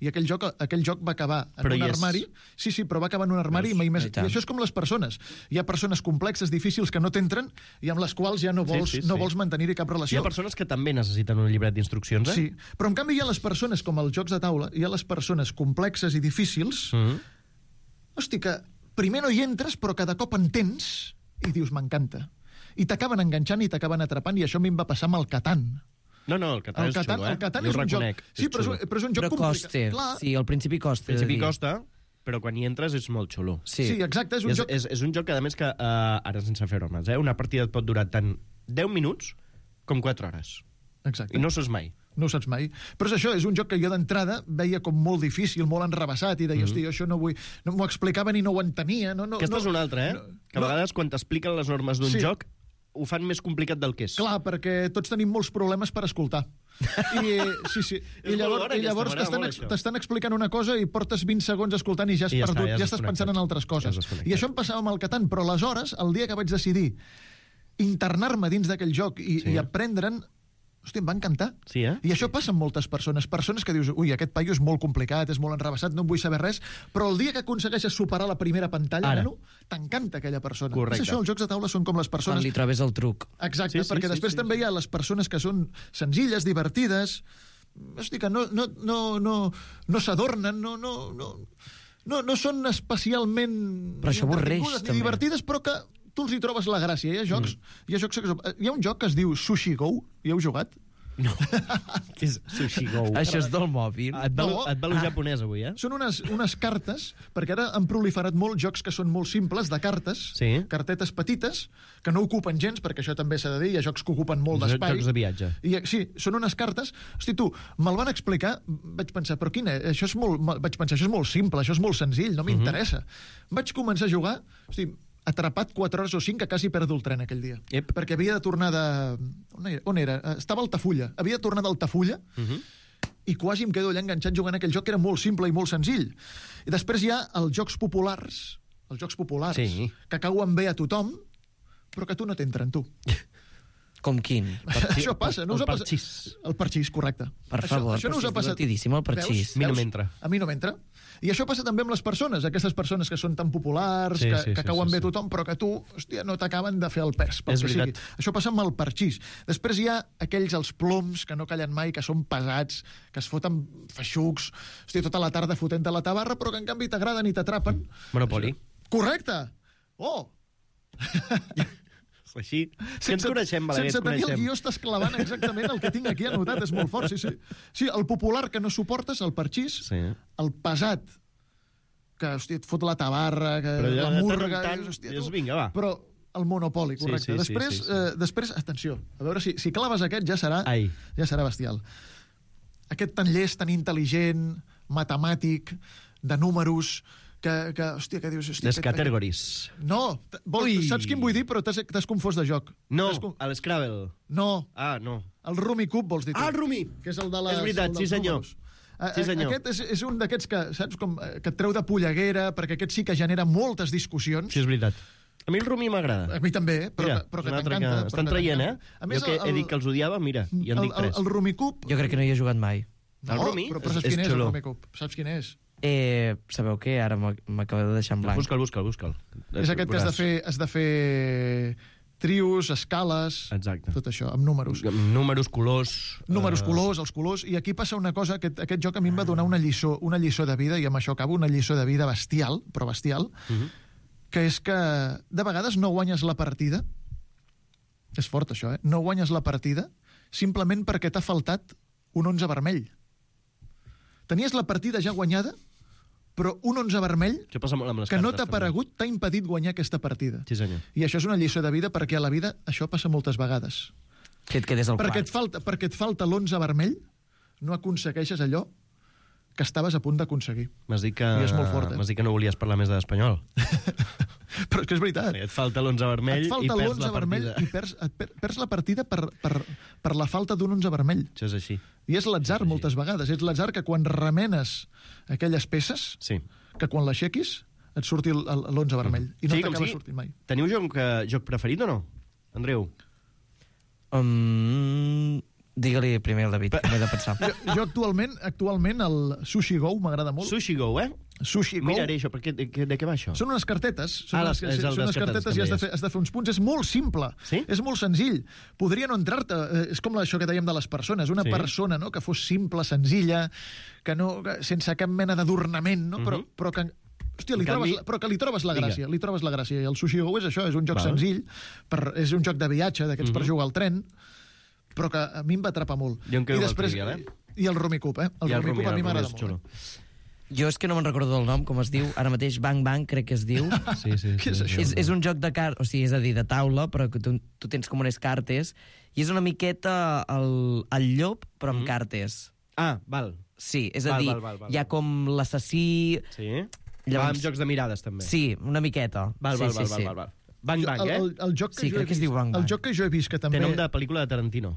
i aquell joc, aquell joc va acabar en Però un hi és. armari. Sí, sí, però va acabar en un armari Veus? i mai més... I I tant. això és com les persones. Hi ha persones complexes, difícils, que no t'entren i amb les quals ja no vols, Sí, sí, no sí. vols mantenir-hi cap Hi relació. ha persones que també necessiten un llibret d'instruccions, eh? Sí, però en canvi hi ha les persones, com els jocs de taula, hi ha les persones complexes i difícils, Mm. hosti, que primer no hi entres, però cada cop entens i dius, m'encanta. I t'acaben enganxant i t'acaben atrapant, i això a mi em va passar amb el Catan. No, no, el Catan El és Catan, xulo, eh? el Catan Jo és ho un joc... reconec, Sí, però és, xulo. un- però és un joc Però complicat. costa. Clar, Sí, al principi costa. Al principi de dir. costa, però quan hi entres és molt xulo. Sí. sí, exacte, és un És, joc... és, és un joc que, a més, que uh, ara sense fer bromes, eh? Una partida et pot durar tant deu minuts com quatre hores. Exacte. I no saps mai. no ho saps mai. Però és això, és un joc que jo d'entrada veia com molt difícil, molt enrevessat, i deia, mm. hosti, jo això no vull... No m'ho explicaven i no ho entenia. No, no, Aquesta no, és una altra, eh? No, que a vegades, no, quan t'expliquen les normes d'un sí. joc, ho fan més complicat del que és. Clar, perquè tots tenim molts problemes per escoltar. I, sí, sí. I llavors, i llavors t'estan, t'estan explicant una cosa i portes vint segons escoltant i ja has I ja perdut, està, ja, ja estàs pensant en altres coses. Ja I això em passava amb el Catan, però aleshores, el dia que vaig decidir internar-me dins d'aquell joc i, sí. i aprendre'n, hosti, em va encantar. Sí, eh? I això passa amb moltes persones. Persones que dius, ui, aquest paio és molt complicat, és molt enrevessat, no en vull saber res, però el dia que aconsegueixes superar la primera pantalla, nano, t'encanta aquella persona. Correcte. És això, els jocs de taula són com les persones... Quan li trobes el truc. Exacte, sí, sí, perquè sí, després sí, també sí. hi ha les persones que són senzilles, divertides, hosti, que no, no, no, no, no s'adornen, no, no, no, no, no són especialment... Però això avorreix, ni també. divertides, però que tu els hi trobes la gràcia. Hi ha jocs... Mm. Hi ha, jocs, hi ha un joc que es diu Sushi Go, hi heu jugat? No. Què és Sushi Go? Això és del mòbil. Et va, No. et va lo Ah. japonès, avui, eh? Són unes, unes cartes, perquè ara han proliferat molt jocs que són molt simples, de cartes, Sí. cartetes petites, que no ocupen gens, perquè això també s'ha de dir, hi ha jocs que ocupen molt Jo- d'espai. jocs de viatge. I, sí, són unes cartes... Hosti, tu, me'l van explicar, vaig pensar, però quina? Això és molt, vaig pensar, això és molt simple, això és molt senzill, no m'interessa. Vaig començar a jugar, hosti, atrapat quatre hores o cinc, que quasi perdo el tren aquell dia. Yep. Perquè havia de tornar de... On era? On era? Estava a Altafulla. Havia de tornar d'Altafulla, Uh -huh. i quasi em quedo allà enganxat jugant aquell joc que era molt simple i molt senzill. I després hi ha els jocs populars, els jocs populars, Sí. que cauen bé a tothom, però que tu no t'entren, tu. Com quin? Això passa, no us el ha passat? parxís. El parxís, correcte. Per això, favor, això no però us si ha és passat. divertidíssim, el parxís. Veus? A mi no Veus? m'entra. A mi no m'entra. I això passa també amb les persones, aquestes persones que són tan populars, Sí, que, sí, que sí, cauen sí, bé a sí. tothom, però que tu, hòstia, no t'acaben de fer el pes, pel És que sigui. veritat. Això passa amb el parxís. Després hi ha aquells, els ploms, que no callen mai, que són pesats, que es foten feixucs, hòstia, tota la tarda fotent a la tabarra, però que en canvi t'agraden i t'atrapen. Monopoly. Correcte! Oh! Així. Que ens coneixem, Balaguer, sense ens tenir el coneixem. guió estàs clavant exactament el que tinc aquí anotat, és molt fort, sí, sí. Sí, el popular que no suportes, el parxís, Sí. el pesat, que, hòstia, et fot la tabarra, que Però ja la de murga... tant en tant, i, hòstia, dius, tu- vinga, va. Però el monopoli, Sí, correcte. sí, sí, després, sí, sí. Eh, després, atenció, a veure si, si claves aquest ja serà, Ai. ja serà bestial. Aquest tan llest, tan intel·ligent, matemàtic, de números, que, que hòstia, que dius... Hòstia, Les aquest- categories. No, t- vol, Ui. saps quin vull dir, però t'has t'has confós de joc. No, T'has con- a l'Scrabble. No, Ah, no. el Rumi Cub vols dir tu. Ah, el Rumi! Que és el de les, És veritat, el dels sí, senyor. números. A- Sí, senyor. Aquest és, és un d'aquests que, saps, com, eh, que et treu de polleguera, perquè aquest sí que genera moltes discussions. Sí, és veritat. A mi el Rumi m'agrada. A mi també, però, Mira, que, però és que un altre t'encanta. que estan traient, eh? A més, jo que he dit que els odiava, mira, i en el, dic el, tres. el Rumi Cub... Jo crec que no hi he jugat mai. No, el Rumi però, però és- saps és quin és, el xulo. Rumi Cub? Saps quin és? Eh, sabeu què? Ara m'ac- m'acaba de deixar en blanc. Busca'l, busca'l, busca'l. És aquest que has de fer, has de fer trios, escales, Exacte. tot això, amb números. Números, colors... Números, eh, colors, els colors, i aquí passa una cosa, aquest, aquest joc a mi em va donar una lliçó, una lliçó de vida, i amb això acabo, una lliçó de vida bestial, però bestial, Uh -huh. que és que de vegades no guanyes la partida, és fort això, eh? No guanyes la partida simplement perquè t'ha faltat un onze vermell. Tenies la partida ja guanyada, però un onze vermell Això passa molt amb les que no cartes, t'ha també. aparegut t'ha impedit guanyar aquesta partida. Sí, senyor. I això és una lliçó de vida perquè a la vida això passa moltes vegades. Que et quedes al Perquè quart. et falta, perquè et falta l'onze vermell, no aconsegueixes allò que estaves a punt d'aconseguir. M'has dit que... I és molt fort, eh? M'has dit que no volies parlar més de l'espanyol. Però és que és veritat. Et falta l'onze vermell Et i falta perds l'onze la vermell partida. i perds, et per, perds la partida per, per, per la falta d'un onze vermell. Això és així. I és l'atzar moltes vegades. És l'atzar que quan remenes aquelles peces, Sí. que quan l'aixequis et surti el- el- l'onze vermell. I no Sí, com t'acaba sigui. sortint mai. Teniu joc, eh, joc preferit o no? Andreu? Um, Digue-li primer al David, que m'he de pensar. Jo, jo actualment, actualment el Sushi Go m'agrada molt. Sushi Go, eh? Sushi Go. Miraré això, perquè de, de què va això? Són unes cartetes, són, Ah, unes, les- és el són unes des cartetes cartetes que i has de, deies. fer, has de fer uns punts. És molt simple, Sí? és molt senzill. Podria no entrar-te, eh, és com això que dèiem de les persones, una Sí. persona no, que fos simple, senzilla, que no, que, sense cap mena d'adornament, no? però, Mhm. però que... Hòstia, li En trobes, canvi- la- però que li trobes la Vinga. gràcia, li trobes la gràcia. I el Sushi Go és això, és un joc Val. senzill, per, és un joc de viatge, d'aquests per Mhm. jugar al tren, però que a mi em va atrapar molt. Jo em quedo I amb el després, Trivial, eh? I el Rumi Cub, eh? El I el Rumi Cub Rumi, a mi el Rumi m'agrada és molt. xulo. Eh? Jo és que no me'n recordo del nom, com es diu. Ara mateix Bang Bang, crec que es diu. Sí, sí. Què és això? És, és un joc de cartes, o sigui, és a dir, de taula, però que tu, tu tens com unes cartes, i és una miqueta el, el llop, però amb mm. cartes. Ah, val. Sí, és a val, dir, val, val, val, hi ha com l'assassí... Sí. Llavors... Va amb jocs de mirades, també. Sí, una miqueta. Val, sí, val, sí, val, sí. val, val. Bang Bang, eh? El, el, el joc que sí, jo crec he que es vist, diu Bang Bang. El joc que jo he vist que també... Té nom de pel·lícula de Tarantino.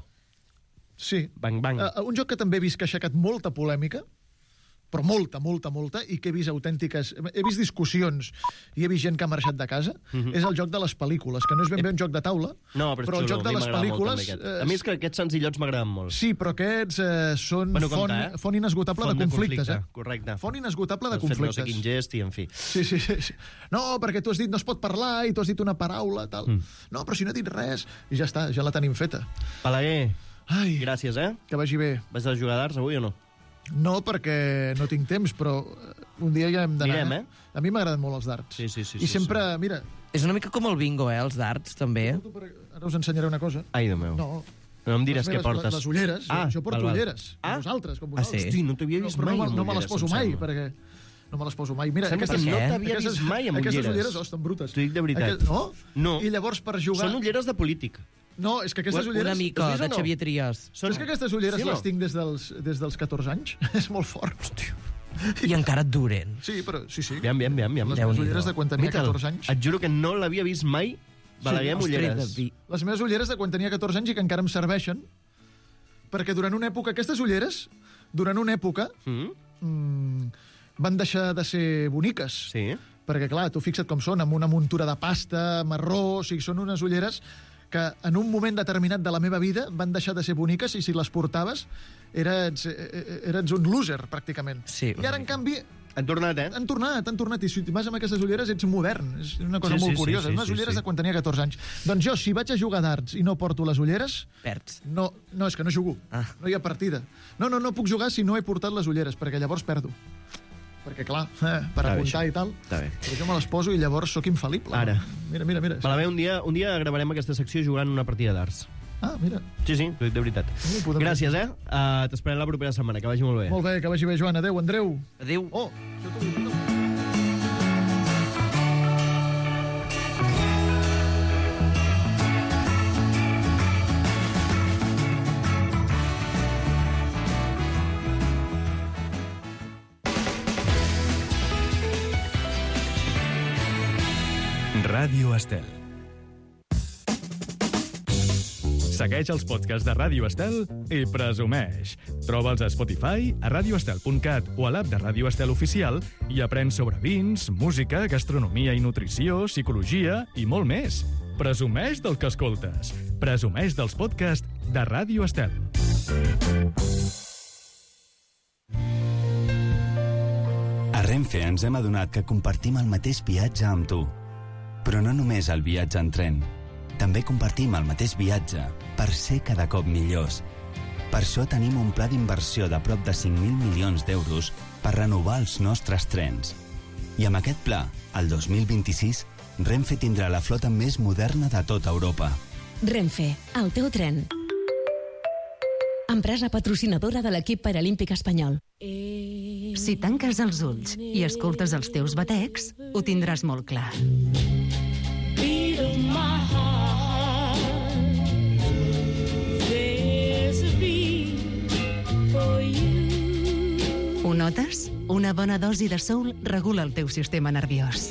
Sí. Bang Bang. Uh, un joc que també he vist que ha aixecat molta polèmica, però molta, molta, molta, i que he vist autèntiques... He vist discussions i he vist gent que ha marxat de casa, uh -huh. és el joc de les pel·lícules, que no és ben bé un joc de taula, no, però, però el xulo, joc de les pel·lícules... Molt, eh, a mi és que aquests senzillots m'agraden molt. Sí, però aquests eh, són bueno, font, compte, eh? font inesgotable font de de conflictes. conflicte, Eh? correcte. Font inesgotable de Has fet conflictes. no sé quin gest i, en fi. Sí, sí, sí. No, perquè tu has dit no es pot parlar i tu has dit una paraula, tal. Mm. No, però si no he dit res, i ja està, ja la tenim feta. Balaguer, Ai, gràcies, eh? que vagi bé. Vas a jugar d'arts avui o no? No, perquè no tinc temps, però un dia ja hem d'anar. Mirem, eh? A mi m'agraden molt els darts. Sí, sí, sí. I sí, sempre, sí. mira... És una mica com el bingo, eh, els darts, també. Ara us ensenyaré una cosa. Ai, Déu meu. No, No em diràs les què meves- portes. Les ulleres. Ah, jo porto val, val. ulleres. Ah? Com vosaltres, com Ah, vosaltres. sí? Hosti, no t'havia vist però mai no, amb no me les ulleres, poso em mai, sembla. perquè... No me les poso mai. Mira, Sembla aquestes, que no què? t'havia aquestes, vist mai amb aquestes ulleres. ulleres, oh, estan brutes. T'ho dic de veritat. Aquest, no? No. I llavors per jugar... Són ulleres de polític. No, és que aquestes ulleres... Una mica, Has vist o de no? Xavier Trias. Són... És que aquestes ulleres Sí o no? les tinc des dels, des dels catorze anys. És molt fort. Hòstia. I encara et duren. Sí, però sí, sí. Aviam, aviam, aviam. aviam. Les Déu-n'hi-do. meves ulleres de quan tenia Miquel, catorze anys. et juro que no l'havia vist mai Balaguer amb Ostres, ulleres. David. Les meves ulleres de quan tenia catorze anys i que encara em serveixen, perquè durant una època, aquestes ulleres, durant una època, Mm? mm, van deixar de ser boniques. Sí. Perquè, clar, tu fixa't com són, amb una muntura de pasta, marró, o sigui, són unes ulleres que en un moment determinat de la meva vida van deixar de ser boniques i si les portaves eres, eres un loser, pràcticament. Sí, I ara, en canvi, Han tornat, eh? han tornat, han tornat, i si vas amb aquestes ulleres ets modern. És una cosa Sí, molt sí, sí, curiosa. sí, unes sí, ulleres sí. de quan tenia catorze anys. Doncs jo, si vaig a jugar darts i no porto les ulleres, Perds. no, no és que no jugo. Ah. No hi ha partida. No, no, no puc jugar si no he portat les ulleres, perquè llavors perdo. Perquè, clar, eh, per Està bé, apuntar això. i tal, Està bé. però jo me les poso i llavors sóc infal·lible. Ara. Mira, mira, mira. Balaguer, un dia, un dia gravarem aquesta secció jugant una partida d'arts. Ah, mira. Sí, sí, t'ho dic de veritat. Sí, podem- Gràcies, eh? Uh, T'esperem la propera setmana, que vagi molt bé. Molt bé, que vagi bé, Joan. Adéu, Andreu. Adéu. Oh, això t'ho dic. Ràdio Estel. Segueix els podcasts de Ràdio Estel i presumeix. Troba'ls a Spotify, a radioestel punt cat o a l'app de Ràdio Estel Oficial i aprèn sobre vins, música, gastronomia i nutrició, psicologia i molt més. Presumeix del que escoltes. Presumeix dels podcasts de Ràdio Estel. A Renfe ens hem adonat que compartim el mateix viatge amb tu. Però no només el viatge en tren. També compartim el mateix viatge per ser cada cop millors. Per això tenim un pla d'inversió de prop de cinc mil milions d'euros per renovar els nostres trens. I amb aquest pla, el dos mil vint-i-sis, Renfe tindrà la flota més moderna de tota Europa. Renfe, el teu tren. Empresa patrocinadora de l'equip paralímpic espanyol. Si tanques els ulls i escoltes els teus batecs, ho tindràs molt clar. Ho notes? Una bona dosi de soul regula el teu sistema nerviós.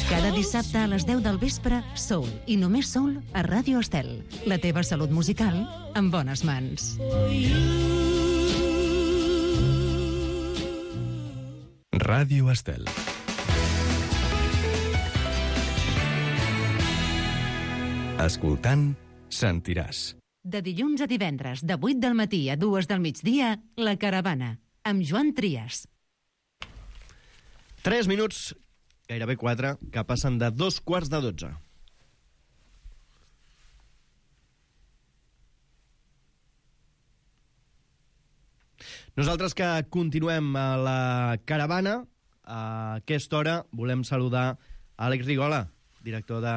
Cada dissabte a les deu del vespre, Soul, i només Soul a Ràdio Estel. La teva salut musical en bones mans. Ràdio Estel. Escoltant, sentiràs. De dilluns a divendres, de vuit del matí a dues del migdia, La Caravana, amb Joan Trias. Tres minuts, gairebé quatre, que passen de dos quarts de dotze. Nosaltres que continuem a la caravana, a aquesta hora volem saludar Àlex Rigola, director de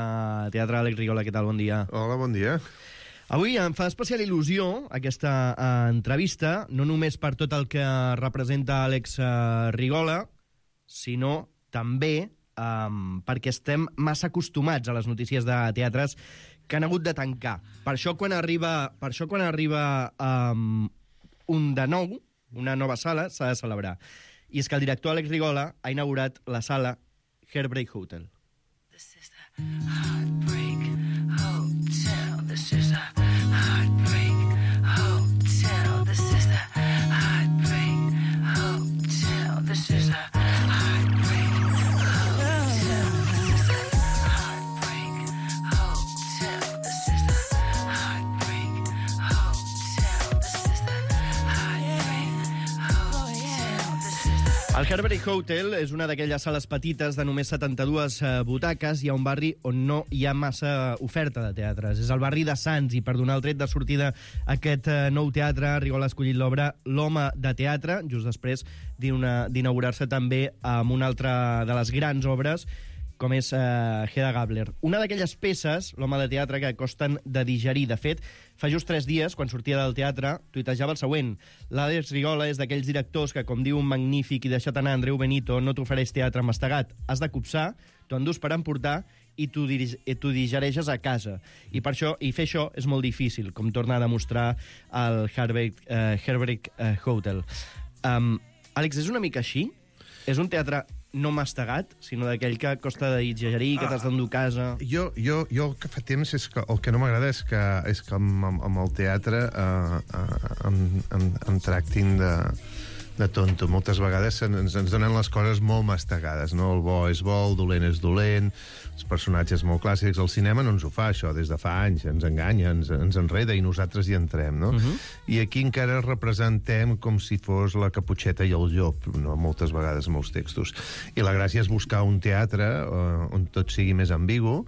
teatre. Àlex Rigola, què tal? Bon dia. Hola, bon dia. Avui em fa especial il·lusió aquesta uh, entrevista, no només per tot el que representa Àlex uh, Rigola, sinó també um, perquè estem massa acostumats a les notícies de teatres que han hagut de tancar. Per això quan arriba, per això quan arriba um, un de nou, una nova sala, s'ha de celebrar. I és que el director Àlex Rigola ha inaugurat la sala Heartbreak Hotel. This is the Heartbreak Hotel. This is the Heartbreak Hotel. This is the Heartbreak Hotel. This is the Heartbreak Hotel. This is the Heartbreak Hotel. This is the Heartbreak Hotel. This is the Heartbreak Hotel. This is the El Heartbreak Hotel és una d'aquelles sales petites de només setanta-dues eh, butaques i a un barri on no hi ha massa oferta de teatres. És el barri de Sants i per donar el tret de sortida a aquest eh, nou teatre, Rigola ha escollit l'obra L'home de teatre, just després d'inaugurar-se també amb una altra de les grans obres, com és uh, Hedda Gabler. Una d'aquelles peces, l'home de teatre, que costen de digerir. De fet, fa just tres dies, quan sortia del teatre, tuitejava el següent. L'Àlex Rigola és d'aquells directors que, com diu un magnífic i deixat anar Andreu Benito, no t'ofereix teatre mastegat. Has de copsar, t'ho endús per emportar i t'ho digereixes a casa. I per això, i fer això és molt difícil, com torna a demostrar el Heartbreak, uh, Heartbreak uh, Hotel. Um, Àlex, és una mica així? És un teatre no mastegat, sinó d'aquell que costa de digerir, que t'has d'endur a casa... Jo, jo, jo el que fa temps és que el que no m'agrada és que, és que amb, amb el teatre eh, eh, em, em, em tractin de, de tonto. Moltes vegades ens, ens donen les coses molt mastegades, no? El bo és bo, el dolent és dolent, els personatges molt clàssics. El cinema no ens ho fa, això, des de fa anys. Ens enganya, ens, ens enreda i nosaltres hi entrem, no? Uh-huh. I aquí encara representem com si fos la Caputxeta i el llop, no? Moltes vegades, molts textos. I la gràcia és buscar un teatre uh, on tot sigui més ambigu,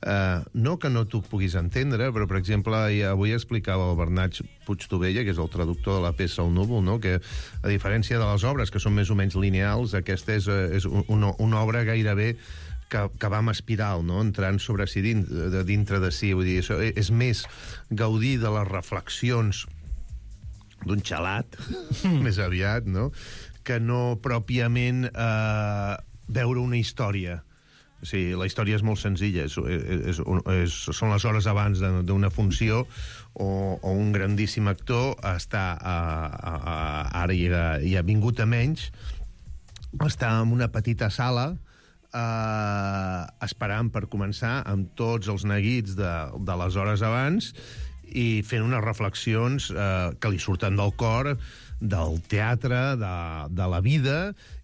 Uh, no que no t'ho puguis entendre, però, per exemple, avui explicava el Bernat Puigtovella, que és el traductor de la peça El núvol, no? Que, a diferència de les obres, que són més o menys lineals, aquesta és, és una, una obra gairebé que, que va amb espiral, no? Entrant sobre si dintre de, dintre de si. Vull dir, això és més gaudir de les reflexions d'un xalat, més aviat, no? Que no pròpiament eh, veure una història. Sí, la història és molt senzilla, és, és, és, són les hores abans d'una funció o, o un grandíssim actor està a, a, a, ara hi ha, hi ha vingut a menys, està en una petita sala eh, esperant per començar amb tots els neguits de, de les hores abans i fent unes reflexions eh, que li surten del cor, del teatre, de, de la vida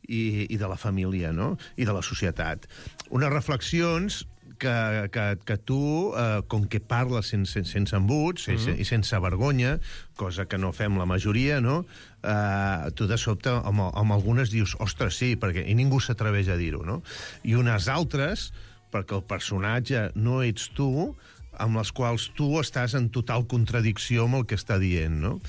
i, i de la família, no? I de la societat. Unes reflexions que, que, que tu, eh, com que parles sense, sense embuts mm -hmm. i sense vergonya, cosa que no fem la majoria, no? Eh, tu de sobte, amb, amb algunes dius, ostres, sí, perquè i ningú s'atreveix a dir-ho, no? I unes altres, perquè el personatge no ets tu, amb les quals tu estàs en total contradicció amb el que està dient, no?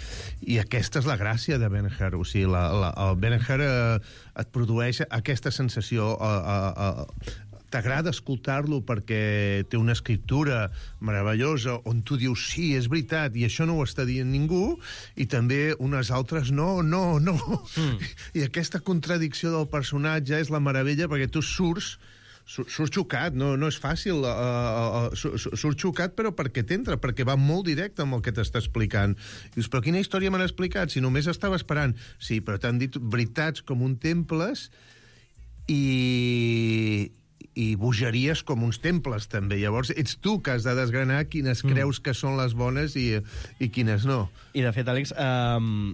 I aquesta és la gràcia de Ben-Hur. O sigui, la, la, el Ben-Hur eh, et produeix aquesta sensació... Eh, eh, eh, t'agrada escoltar-lo perquè té una escriptura meravellosa on tu dius, sí, és veritat, i això no ho està dient ningú, i també unes altres, no, no, no. Mm. I aquesta contradicció del personatge és la meravella perquè tu surts surt xocat, no, no és fàcil uh, uh, uh, surt xocat però perquè t'entra, perquè va molt directe amb el que t'està explicant. I dius, però quina història m'han explicat? Si només estava esperant. Sí, però t'han dit veritats com un temples i i bogeries com uns temples, també. Llavors, ets tu que has de desgranar quines mm. creus que són les bones i, i quines no. I, de fet, Àlex, um,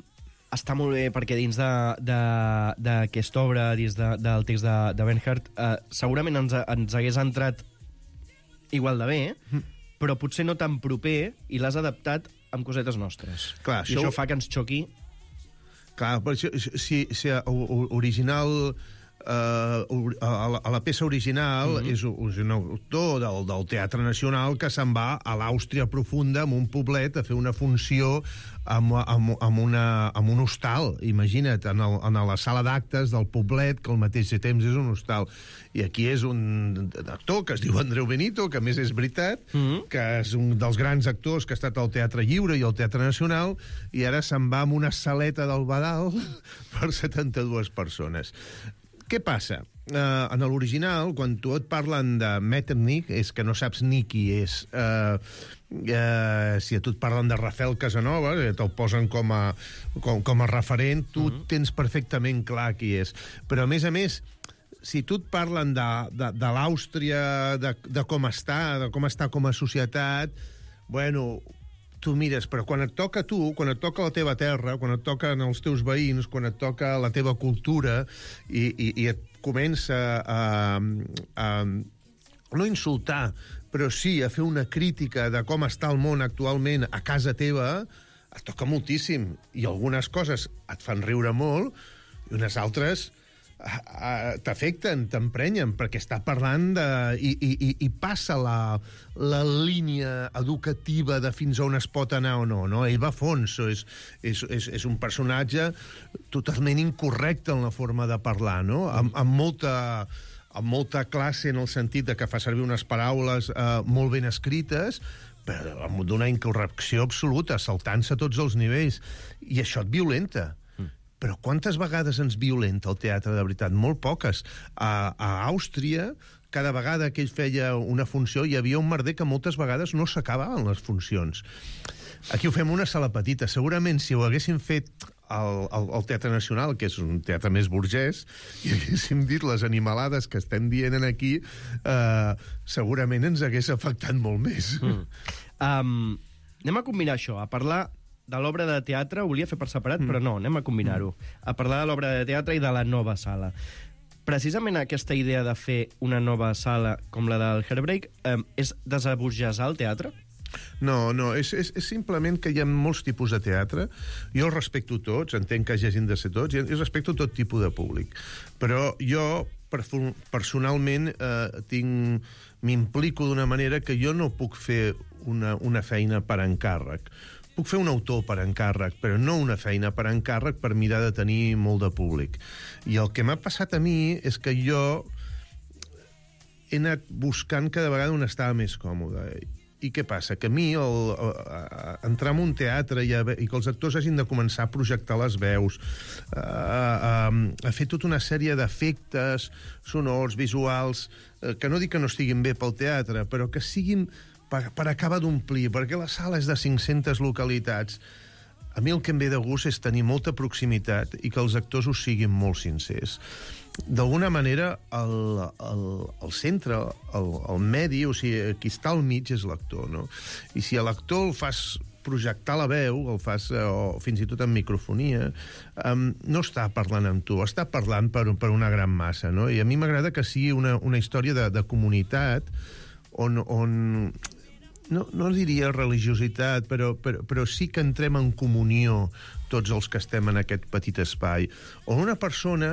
està molt bé perquè dins d'aquesta obra, dins de, del text de, de Ben-Hur, uh, segurament ens, ens hagués entrat igual de bé, mm. però potser no tan proper, i l'has adaptat amb cosetes nostres. Clar, I això, això fa que ens xoqui. Clar, però si, si, si original... Uh, a, la, a la peça original mm-hmm. és, és un autor del, del Teatre Nacional que se'n va a l'Àustria profunda, amb un poblet, a fer una funció amb, amb, amb, una, amb un hostal. Imagina't, en, el, en la sala d'actes del poblet, que al mateix temps és un hostal. I aquí és un actor que es diu Andreu Benito, que a més és veritat, mm-hmm. que és un dels grans actors que ha estat al Teatre Lliure i al Teatre Nacional, i ara se'n va amb una saleta del Badal per setanta-dues persones. Què passa? Uh, en l'original, quan tu et parlen de Metternich, és que no saps ni qui és. Uh, uh, si a tu et parlen de Rafael Casanova, eh, te'l posen com a, com, com a referent, tu uh-huh. tens perfectament clar qui és. Però, a més a més, si tu et parlen de, de, de l'Àustria, de, de com està, de com està com a societat, bueno, tu mires, però quan et toca a tu, quan et toca la teva terra, quan et toquen els teus veïns, quan et toca la teva cultura, i, i, i et comença a, a no insultar, però sí a fer una crítica de com està el món actualment a casa teva, et toca moltíssim. I algunes coses et fan riure molt, i unes altres t'afecten, t'emprenyen, perquè està parlant de... I, i, i passa la, la línia educativa de fins on es pot anar o no, no? Ell va a fons, és, és, és, és un personatge totalment incorrecte en la forma de parlar, no? Amb, amb molta... amb molta classe en el sentit de que fa servir unes paraules eh, molt ben escrites, però amb d'una incorrecció absoluta, saltant-se a tots els nivells. I això et violenta. Però quantes vegades ens violenta el teatre, de veritat? Molt poques. A, a Àustria, cada vegada que ell feia una funció, hi havia un merder que moltes vegades no s'acabaven les funcions. Aquí ho fem una sala petita. Segurament, si ho haguessin fet al, al, al Teatre Nacional, que és un teatre més burgès, i haguéssim dit les animalades que estem dient aquí, eh, segurament ens hagués afectat molt més. Mm. Um, anem a combinar això, a parlar de l'obra de teatre, ho volia fer per separat, mm. però no, anem a combinar-ho. A parlar de l'obra de teatre i de la nova sala. Precisament aquesta idea de fer una nova sala com la del Heartbreak eh, és desaburgesar el teatre? No, no, és, és, és simplement que hi ha molts tipus de teatre. Jo els respecto tots, entenc que hagin de ser tots, i respecto tot tipus de públic. Però jo, personalment, eh, tinc... m'implico d'una manera que jo no puc fer una, una feina per encàrrec. Puc fer un autor per encàrrec, però no una feina per encàrrec per mirar de tenir molt de públic. I el que m'ha passat a mi és que jo he anat buscant cada vegada on estava més còmode. I què passa? Que a mi el, el, el, entrar en un teatre i, a, i que els actors hagin de començar a projectar les veus, a, a, a fer tota una sèrie d'efectes sonors, visuals, que no dic que no estiguin bé pel teatre, però que siguin per, per acabar d'omplir, perquè la sala és de cinc-centes localitats. A mi el que em ve de gust és tenir molta proximitat i que els actors ho siguin molt sincers. D'alguna manera, el, el, el centre, el, el medi, o sigui, qui està al mig és l'actor, no? I si a l'actor el fas projectar la veu, el fas, o fins i tot en microfonia, um, no està parlant amb tu, està parlant per, per una gran massa, no? I a mi m'agrada que sigui una, una història de, de comunitat on... on No, no diria religiositat, però, però, però sí que entrem en comunió tots els que estem en aquest petit espai, on una persona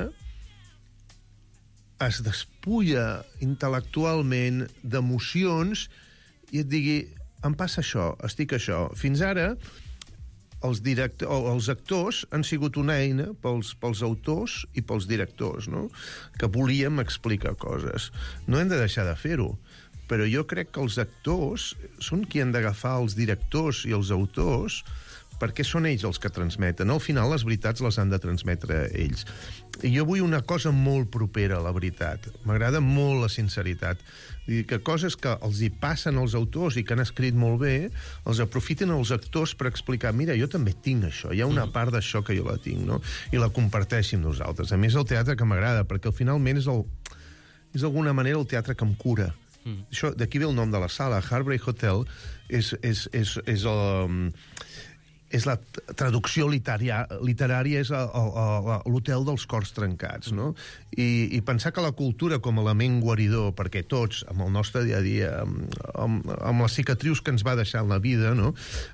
es despulla intel·lectualment d'emocions i et digui, em passa això, estic això. Fins ara, els, director, els actors han sigut una eina pels, pels autors i pels directors, no? Que volíem explicar coses. No hem de deixar de fer-ho. Però jo crec que els actors són qui han d'agafar els directors i els autors perquè són ells els que transmeten. Al final, les veritats les han de transmetre ells. I jo vull una cosa molt propera a la veritat. M'agrada molt la sinceritat. Vull dir que coses que els hi passen als autors i que han escrit molt bé, els aprofiten els actors per explicar, mira, jo també tinc això, hi ha una part d'això que jo la tinc, no? I la comparteixi amb nosaltres. A més, el teatre que m'agrada, perquè finalment és, el, és d'alguna manera el teatre que em cura. Mm. Això, d'aquí ve el nom de la sala. Heartbreak Hotel és, és, és, és, el, és la traducció literària, literària és l'hotel dels cors trencats, no? I, I pensar que la cultura com a element guaridor, perquè tots, amb el nostre dia a dia, amb, amb, amb les cicatrius que ens va deixar en la vida, no?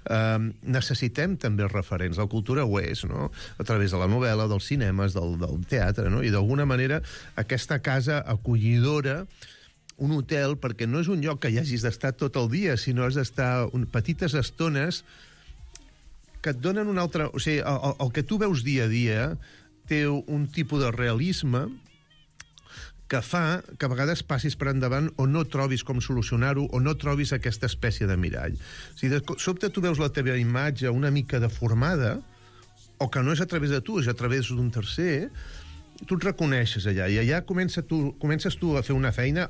Eh, necessitem també referents. La cultura ho és, no? A través de la novel·la, dels cinemes, del, del teatre, no? I d'alguna manera aquesta casa acollidora, un hotel, perquè no és un lloc que hi hagis d'estar tot el dia, sinó has d'estar un, petites estones que et donen un altre... O sigui, el, el que tu veus dia a dia té un tipus de realisme que fa que a vegades passis per endavant o no trobis com solucionar-ho o no trobis aquesta espècie de mirall. O sigui, de sobte tu veus la teva imatge una mica deformada o que no és a través de tu, és a través d'un tercer, tu et reconeixes allà i allà comença tu, comences tu a fer una feina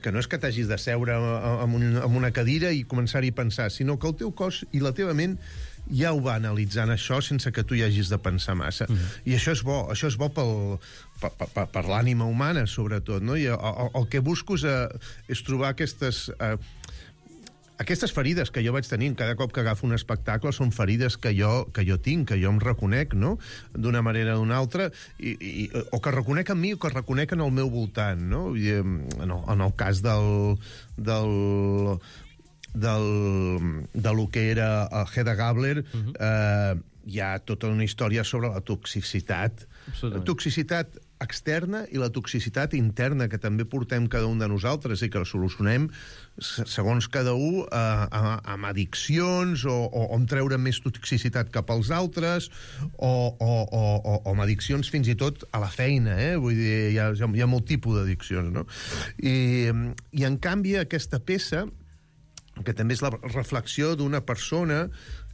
que no és que t'hagis de seure en, un, en una cadira i començar-hi a pensar, sinó que el teu cos i la teva ment ja ho va analitzant això sense que tu hi hagis de pensar massa. Mm-hmm. I això és bo, això és bo pel, per, per, per l'ànima humana, sobretot, no? I el, el, el que busco és, és trobar aquestes... Eh, aquestes ferides que jo vaig tenint cada cop que agafo un espectacle són ferides que jo, que jo tinc, que jo em reconec, no?, d'una manera o d'una altra, i, i, o que reconec en mi o que reconec en el meu voltant, no? I, en, el, en el cas del... del del, de lo que era el Hedda Gabler, uh-huh. eh, hi ha tota una història sobre la toxicitat. La toxicitat externa i la toxicitat interna que també portem cada un de nosaltres i que la solucionem segons cada un eh, amb addiccions o, o, o amb treure més toxicitat cap als altres o, o, o, o, o amb addiccions fins i tot a la feina, eh? Vull dir, hi ha, hi ha molt tipus d'addiccions, no? I, i en canvi aquesta peça, que també és la reflexió d'una persona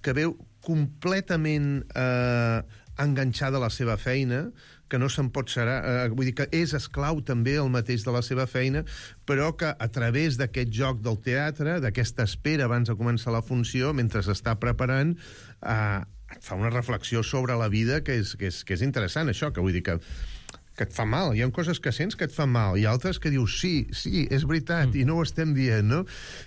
que veu completament eh, enganxada a la seva feina, que no se'n pot serar, eh, vull dir que és esclau també el mateix de la seva feina, però que a través d'aquest joc del teatre, d'aquesta espera abans de començar la funció, mentre s'està preparant, eh, et fa una reflexió sobre la vida que és, que és, que és interessant, això, que vull dir que que et fa mal. Hi ha coses que sents que et fan mal, i altres que dius, sí, sí, és veritat, mm. i no ho estem dient, no?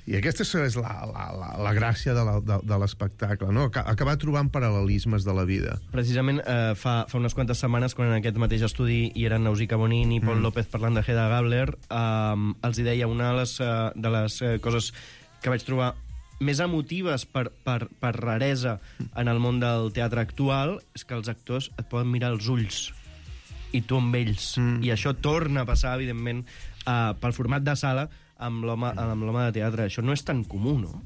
I aquesta és la, la, la, la gràcia de, la, de, de l'espectacle, no? Acabar trobant paral·lelismes de la vida. Precisament eh, fa, fa unes quantes setmanes, quan en aquest mateix estudi hi eren Nausicaa Bonin i Paul mm. López parlant de Hedda Gabler, eh, els hi deia una de les, eh, de les eh, coses que vaig trobar més emotives per, per, per raresa en el món del teatre actual és que els actors et poden mirar als ulls i tu amb ells. Mm. I això torna a passar, evidentment, uh, pel format de sala amb l'home amb l'home de teatre. Això no és tan comú, no?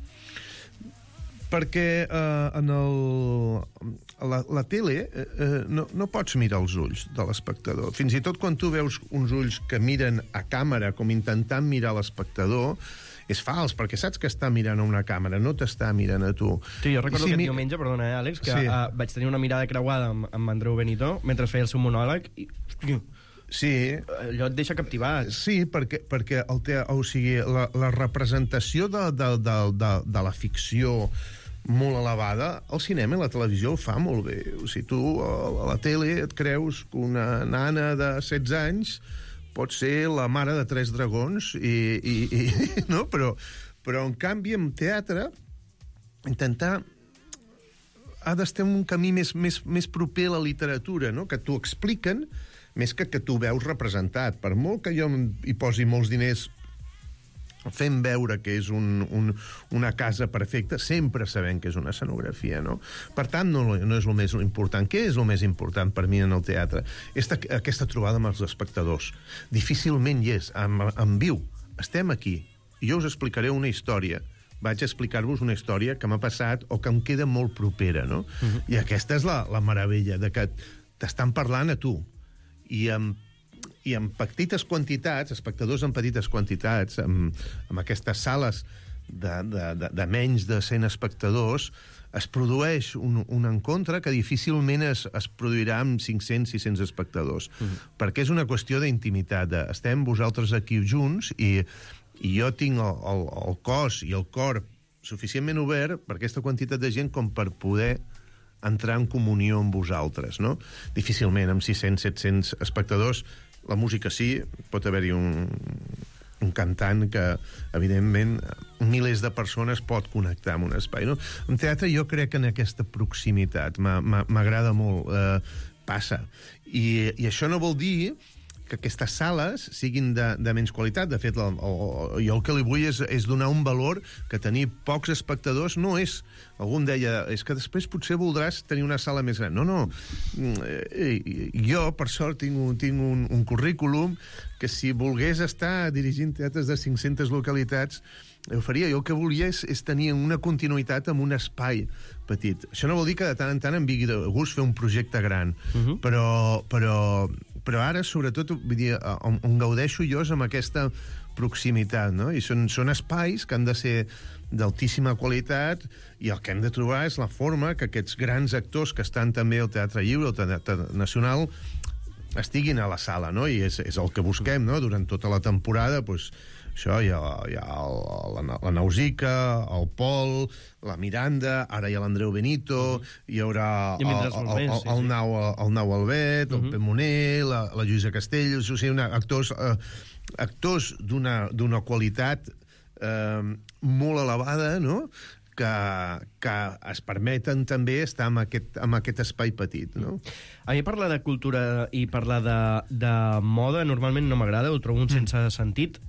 Perquè uh, en el, la, la tele uh, no, no pots mirar els ulls de l'espectador. Fins i tot quan tu veus uns ulls que miren a càmera com intentant mirar l'espectador, és fals, perquè saps que està mirant a una càmera, no t'està mirant a tu. Sí, jo recordo si aquest mi... diumenge, perdona, eh, Àlex, que sí. uh, vaig tenir una mirada creuada amb, amb Andreu Benito mentre feia el seu monòleg i... Sí. Allò et deixa captivat. Sí, perquè, perquè el te... o sigui, la, la representació de, de, de, de, de la ficció molt elevada, el cinema i la televisió ho fa molt bé. O sigui, tu a la tele et creus que una nana de setze anys pot ser la mare de tres dragons i, i, i no? Però, però en canvi en teatre intentar ha d'estar un camí més, més, més proper a la literatura, no? Que t'ho expliquen més que que tu veus representat. Per molt que jo hi posi molts diners fent veure que és un, un, una casa perfecta, sempre sabem que és una escenografia, no? Per tant, no, no és el més important. Què és el més important per mi en el teatre? Esta, aquesta trobada amb els espectadors. Difícilment hi és, en, en viu. Estem aquí, i jo us explicaré una història. Vaig explicar-vos una història que m'ha passat o que em queda molt propera, no? Uh-huh. I aquesta és la, la meravella, de que t'estan parlant a tu, i amb i en petites quantitats, espectadors en petites quantitats, amb, amb aquestes sales de, de, de, de menys de cent espectadors, es produeix un, un encontre que difícilment es, es produirà amb cinc-cents sis-cents espectadors. Uh-huh. Perquè és una qüestió d'intimitat. De, estem vosaltres aquí junts i, i jo tinc el, el, el cos i el cor suficientment obert per aquesta quantitat de gent com per poder entrar en comunió amb vosaltres, no? Difícilment, amb sis-cents set-cents espectadors. La música sí, pot haver-hi un, un cantant que, evidentment, milers de persones pot connectar amb un espai, no? En teatre jo crec que en aquesta proximitat m'agrada molt, eh, passa. I, I això no vol dir que aquestes sales siguin de, de menys qualitat. De fet, el, el, jo el que li vull és, és donar un valor que tenir pocs espectadors no és... Algú em deia, és que després potser voldràs tenir una sala més gran. No, no. Jo, per sort, tinc un, tinc un, un currículum que si volgués estar dirigint teatres de cinc-centes localitats ho faria. Jo el que volia és, és tenir una continuïtat amb un espai petit. Això no vol dir que de tant en tant em vingui de gust fer un projecte gran, uh-huh. però, però, però ara, sobretot, vull dir, on, on gaudeixo jo és amb aquesta proximitat, no? I són, són espais que han de ser d'altíssima qualitat i el que hem de trobar és la forma que aquests grans actors que estan també al Teatre Lliure, al Teatre Nacional, estiguin a la sala, no? I és, és el que busquem, no? Durant tota la temporada, doncs, això, hi ha, hi ha el, la, la Nausica, el Pol, la Miranda, ara hi ha l'Andreu Benito, hi haurà el, el, el, el, el, Nau, el Nau Albet, el Pep Moner, la, la Lluïsa Castells, o sigui, una, actors, eh, actors d'una d'una qualitat eh, molt elevada, no?, que, que es permeten també estar en aquest, en aquest espai petit, no? A mi parlar de cultura i parlar de, de moda normalment no m'agrada, ho trobo un sense sentit,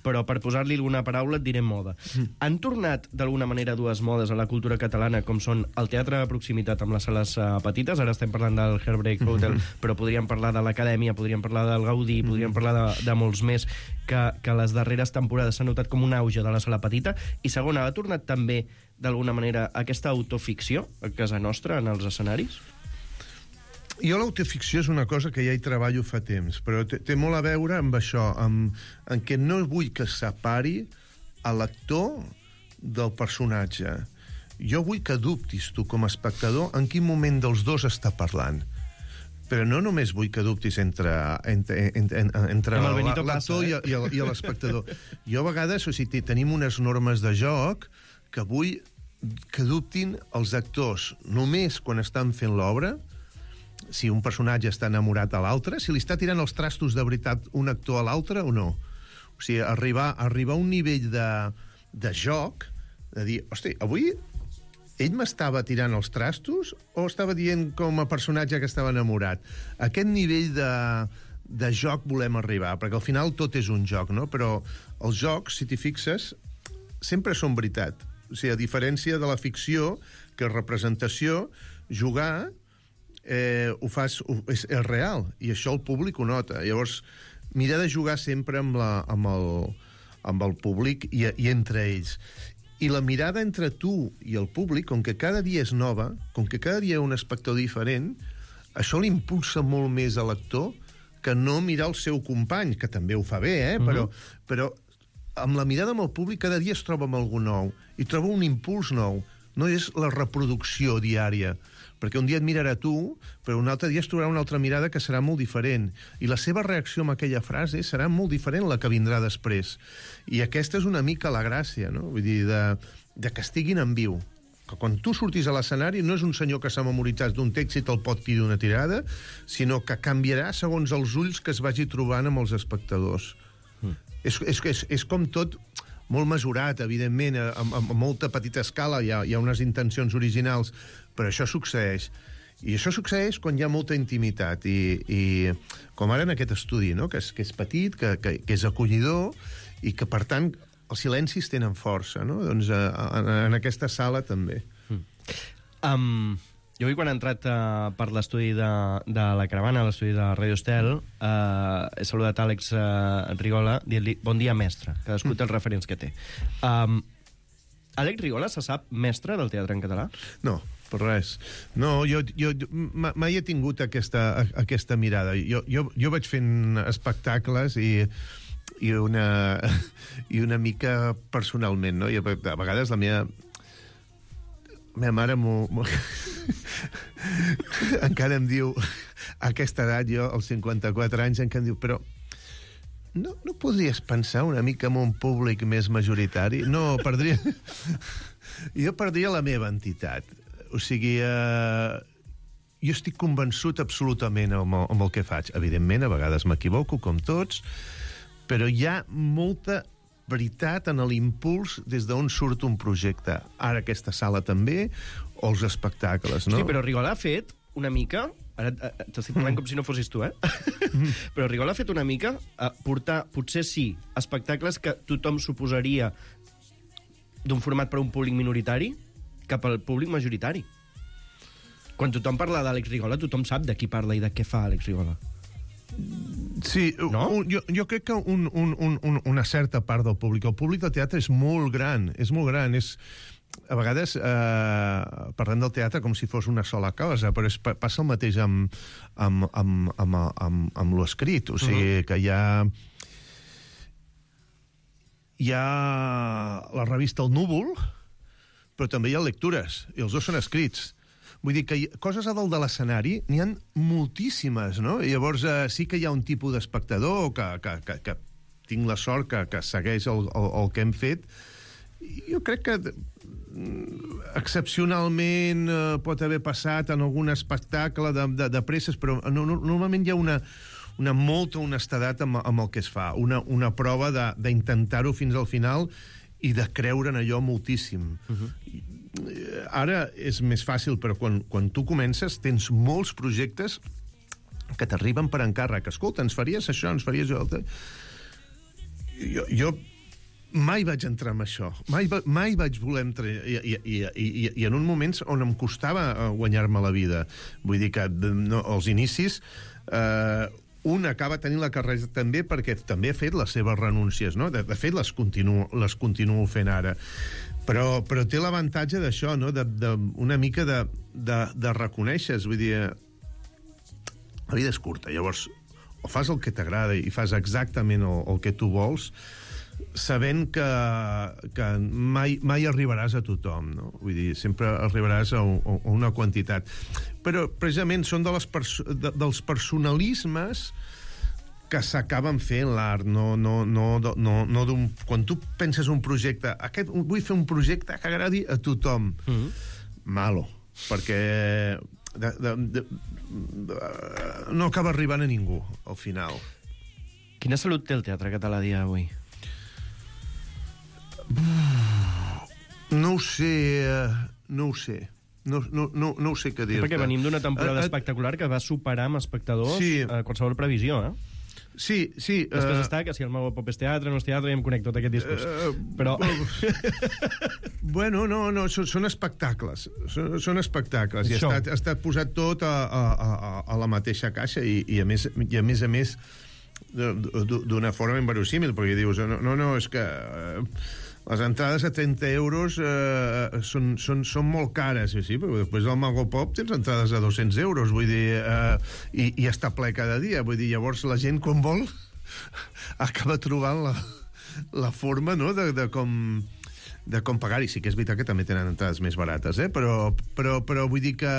però per posar-li alguna paraula et diré moda. Mm. Han tornat, d'alguna manera, dues modes a la cultura catalana, com són el teatre de proximitat amb les sales uh, petites, ara estem parlant del Heartbreak Hotel, mm-hmm. però podríem parlar de l'Acadèmia, podríem parlar del Gaudí, mm-hmm. podríem parlar de, de molts més, que, que les darreres temporades s'ha notat com un auge de la sala petita, i segona, ha tornat també, d'alguna manera, aquesta autoficció a casa nostra, en els escenaris? Jo l'autoficció és una cosa que ja hi treballo fa temps, però té, té molt a veure amb això, amb, en què no vull que separi a l'actor del personatge. Jo vull que dubtis tu com a espectador en quin moment dels dos està parlant. Però no només vull que dubtis entre, entre, entre, entre l'actor eh? i, i l'espectador. Jo a vegades, o sigui, tenim unes normes de joc que vull que dubtin els actors només quan estan fent l'obra, si un personatge està enamorat a l'altre, si li està tirant els trastos de veritat un actor a l'altre o no. O sigui, arribar, arribar a un nivell de, de joc, de dir, hosti, avui ell m'estava tirant els trastos o estava dient com a personatge que estava enamorat? A aquest nivell de, de joc volem arribar, perquè al final tot és un joc, no? Però els jocs, si t'hi fixes, sempre són veritat. O sigui, a diferència de la ficció, que és representació, jugar eh, ho fas, ho, és, és real, i això el públic ho nota. Llavors, mira de jugar sempre amb, la, amb, el, amb el públic i, i entre ells. I la mirada entre tu i el públic, com que cada dia és nova, com que cada dia hi ha un espectador diferent, això l'impulsa molt més a l'actor que no mirar el seu company, que també ho fa bé, eh? Mm-hmm. però, però amb la mirada amb el públic cada dia es troba amb algú nou i troba un impuls nou. No és la reproducció diària, perquè un dia et mirarà tu, però un altre dia es trobarà una altra mirada que serà molt diferent. I la seva reacció amb aquella frase serà molt diferent la que vindrà després. I aquesta és una mica la gràcia, no? Vull dir, de, de que estiguin en viu. Que quan tu surtis a l'escenari no és un senyor que s'ha memoritzat d'un text i te'l pot dir d'una tirada, sinó que canviarà segons els ulls que es vagi trobant amb els espectadors. Mm. És, és, és, és com tot molt mesurat, evidentment, a, a, a molta petita escala, hi ha, hi ha unes intencions originals, però això succeeix. I això succeeix quan hi ha molta intimitat, i, i com ara en aquest estudi, no? que, és, que és petit, que, que, que és acollidor, i que, per tant, els silencis tenen força, no? Doncs a, a, en aquesta sala també. Mm. Um, jo avui, quan he entrat uh, per l'estudi de, de la Caravana, l'estudi de Radio Estel, uh, he saludat Àlex uh, Rigola dient-li bon dia, mestre. Cadascú té els referents que té. Um, Àlex Rigola se sap mestre del teatre en català? No, per res. No, jo, jo mai he tingut aquesta, aquesta mirada. Jo, jo, jo vaig fent espectacles i, i, una, i una mica personalment, no? I a vegades la meva... La meva mare m'ho... encara em diu, a aquesta edat, jo, als cinquanta-quatre anys, encara em diu, però no, no podries pensar una mica en un públic més majoritari? No, perdria... jo perdria la meva entitat. O sigui, eh, jo estic convençut absolutament amb el, amb el que faig. Evidentment, a vegades m'equivoco, com tots, però hi ha molta veritat en l'impuls des d'on surt un projecte. Ara aquesta sala també, o els espectacles, no? Sí, però Rigol ha fet una mica... Ara eh, t'estic parlant com si no fossis tu, eh? Però Rigol ha fet una mica a portar, potser sí, espectacles que tothom suposaria d'un format per a un públic minoritari cap al públic majoritari. Quan tothom parla d'Àlex Rigola, tothom sap de qui parla i de què fa Àlex Rigola. Sí, no? un, jo, jo crec que un, un, un, una certa part del públic, el públic del teatre és molt gran, és molt gran, és... A vegades eh, parlem del teatre com si fos una sola cosa, però és, passa el mateix amb, amb, amb, amb, amb, amb l'escrit, o sigui, uh-huh. que hi ha... Hi ha la revista El Núvol, però també hi ha lectures, i els dos són escrits. Vull dir que hi, coses a dalt de l'escenari n'hi ha moltíssimes, no? I llavors eh, sí que hi ha un tipus d'espectador que, que, que, que tinc la sort que, que segueix el, el, el que hem fet. Jo crec que excepcionalment eh, pot haver passat en algun espectacle de, de, de presses, però no, no, normalment hi ha una, una molta honestedat amb, amb el que es fa, una, una prova d'intentar-ho fins al final i de creure en allò moltíssim. Uh-huh. Ara és més fàcil, però quan, quan tu comences tens molts projectes que t'arriben per encàrrec. Escolta, ens faries això, ens faries allò... Jo... jo mai vaig entrar en això, mai, mai vaig voler entrar, i, i, i, i, i en un moment on em costava guanyar-me la vida. Vull dir que no, als inicis eh, un acaba tenint la carrera també perquè també ha fet les seves renúncies, no? De, de fet les continuo, les continuo fent ara. Però, però té l'avantatge d'això, no? De, de, una mica de, de, de reconèixer, vull dir, la vida és curta, llavors o fas el que t'agrada i fas exactament el, el que tu vols, sabent que, que mai, mai arribaràs a tothom, no? Vull dir, sempre arribaràs a, un, a una quantitat. Però, precisament, són de les perso de, dels personalismes que s'acaben fent l'art, no, no, no, no, no d'un... Quan tu penses un projecte, aquest, vull fer un projecte que agradi a tothom. Mm-hmm. Malo, perquè de, de, de, de, no acaba arribant a ningú, al final. Quina salut té el teatre català a dia d'avui? No ho sé, no ho sé. No, no, no, no ho sé què dir-te. Perquè venim d'una temporada uh, uh, espectacular que va superar amb espectadors sí. uh, qualsevol previsió, eh? Sí, sí. Després uh, està que si el meu pop és teatre, no és teatre, i em connecto tot aquest discurs. Uh, Però... bueno, no, no, són, són espectacles. Són, són espectacles. I ha estat, ha estat posat tot a, a, a, a la mateixa caixa i, i, a més, i a més a més d'una forma inverosímil, perquè dius, no, no, no és que... Uh, les entrades a trenta euros eh, són, són, són molt cares, sí, sí, però després del Mago Pop tens entrades a dos-cents euros, vull dir, eh, i, i està ple cada dia, vull dir, llavors la gent, quan vol, acaba trobant la, la forma, no?, de, de com de com pagar-hi. Sí que és veritat que també tenen entrades més barates, eh? però, però, però vull dir que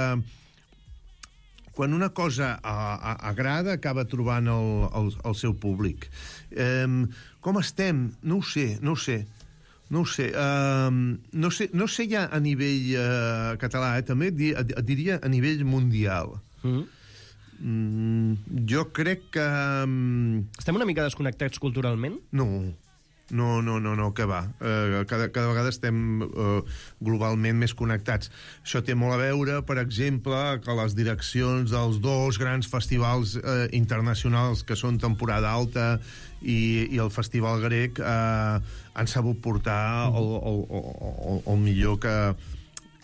quan una cosa a, a, agrada, acaba trobant el, el, el seu públic. Eh, com estem? No ho sé, no ho sé. No ho sé, uh, no sé, no sé ja a nivell uh, català, eh, també et, di, et, et diria a nivell mundial. Mm. Mm, jo crec que... Um... Estem una mica desconnectats culturalment? No, no, no, no, no que va. Uh, cada, cada vegada estem uh, globalment més connectats. Això té molt a veure, per exemple, que les direccions dels dos grans festivals uh, internacionals que són temporada alta i, i el Festival Grec eh, han sabut portar el, el, el, el millor que,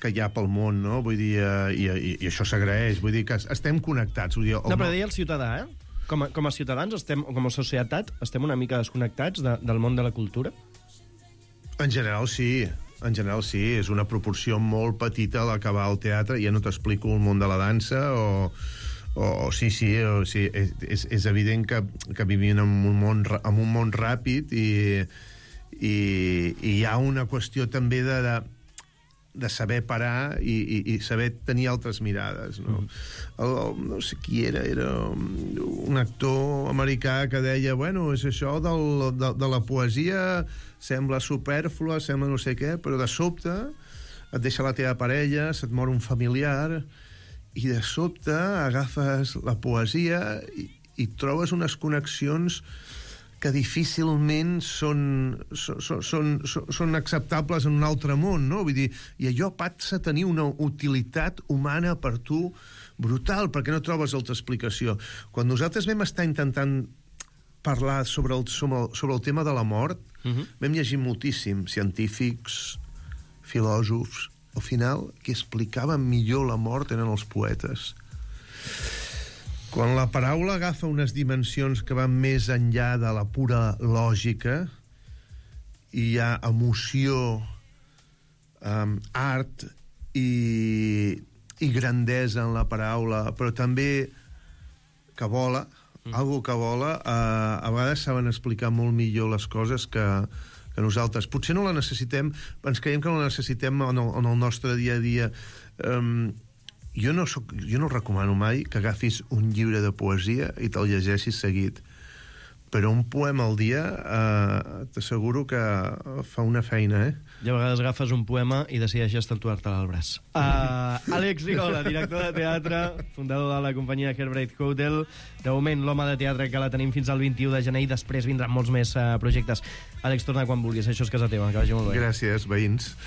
que hi ha pel món, no? Vull dir, eh, i, i, i això s'agraeix, vull dir que estem connectats. Vull dir, no, però deia el ciutadà, eh? Com a, com a ciutadans, estem, com a societat, estem una mica desconnectats de, del món de la cultura? En general, sí. En general, sí. És una proporció molt petita la que va al teatre. Ja no t'explico el món de la dansa o... O, sí, sí, o, sí és, és, és evident que, que vivim en un món, en un món ràpid i, i, i hi ha una qüestió també de, de, de saber parar i, i, i saber tenir altres mirades, no? Mm. El, el, no sé qui era, era un actor americà que deia, bueno, és això del, de, de la poesia sembla supèrflua, sembla no sé què, però de sobte et deixa la teva parella, se't mor un familiar... i de sobte agafes la poesia i, i trobes unes connexions que difícilment són, són, són, són acceptables en un altre món, no? Vull dir, i allò passa a tenir una utilitat humana per tu brutal, perquè no trobes altra explicació. Quan nosaltres vam estar intentant parlar sobre el, sobre el, sobre el tema de la mort, uh-huh. vam llegir moltíssim científics, filòsofs. Al final, qui explicava millor la mort eren els poetes. Quan la paraula agafa unes dimensions que van més enllà de la pura lògica, i hi ha emoció, um, art i, i grandesa en la paraula, però també que vola, mm. algo que vola, uh, a vegades saben explicar molt millor les coses que, que nosaltres. Potser no la necessitem, ens creiem que no la necessitem en el, en el nostre dia a dia. Um, Jo no, soc, jo no recomano mai que agafis un llibre de poesia i te'l llegeixis seguit. Però un poema al dia eh, t'asseguro que fa una feina, eh? I a vegades agafes un poema i decideixes tatuar-te al braç. Uh, Àlex Rigola, director de teatre, fundador de la companyia Heartbreak Hotel. De moment, l'home de teatre que la tenim fins al vint-i-u de gener i després vindran molts més uh, projectes. Àlex, torna quan vulguis, això és casa teva, que vagi molt bé. Gràcies, veïns.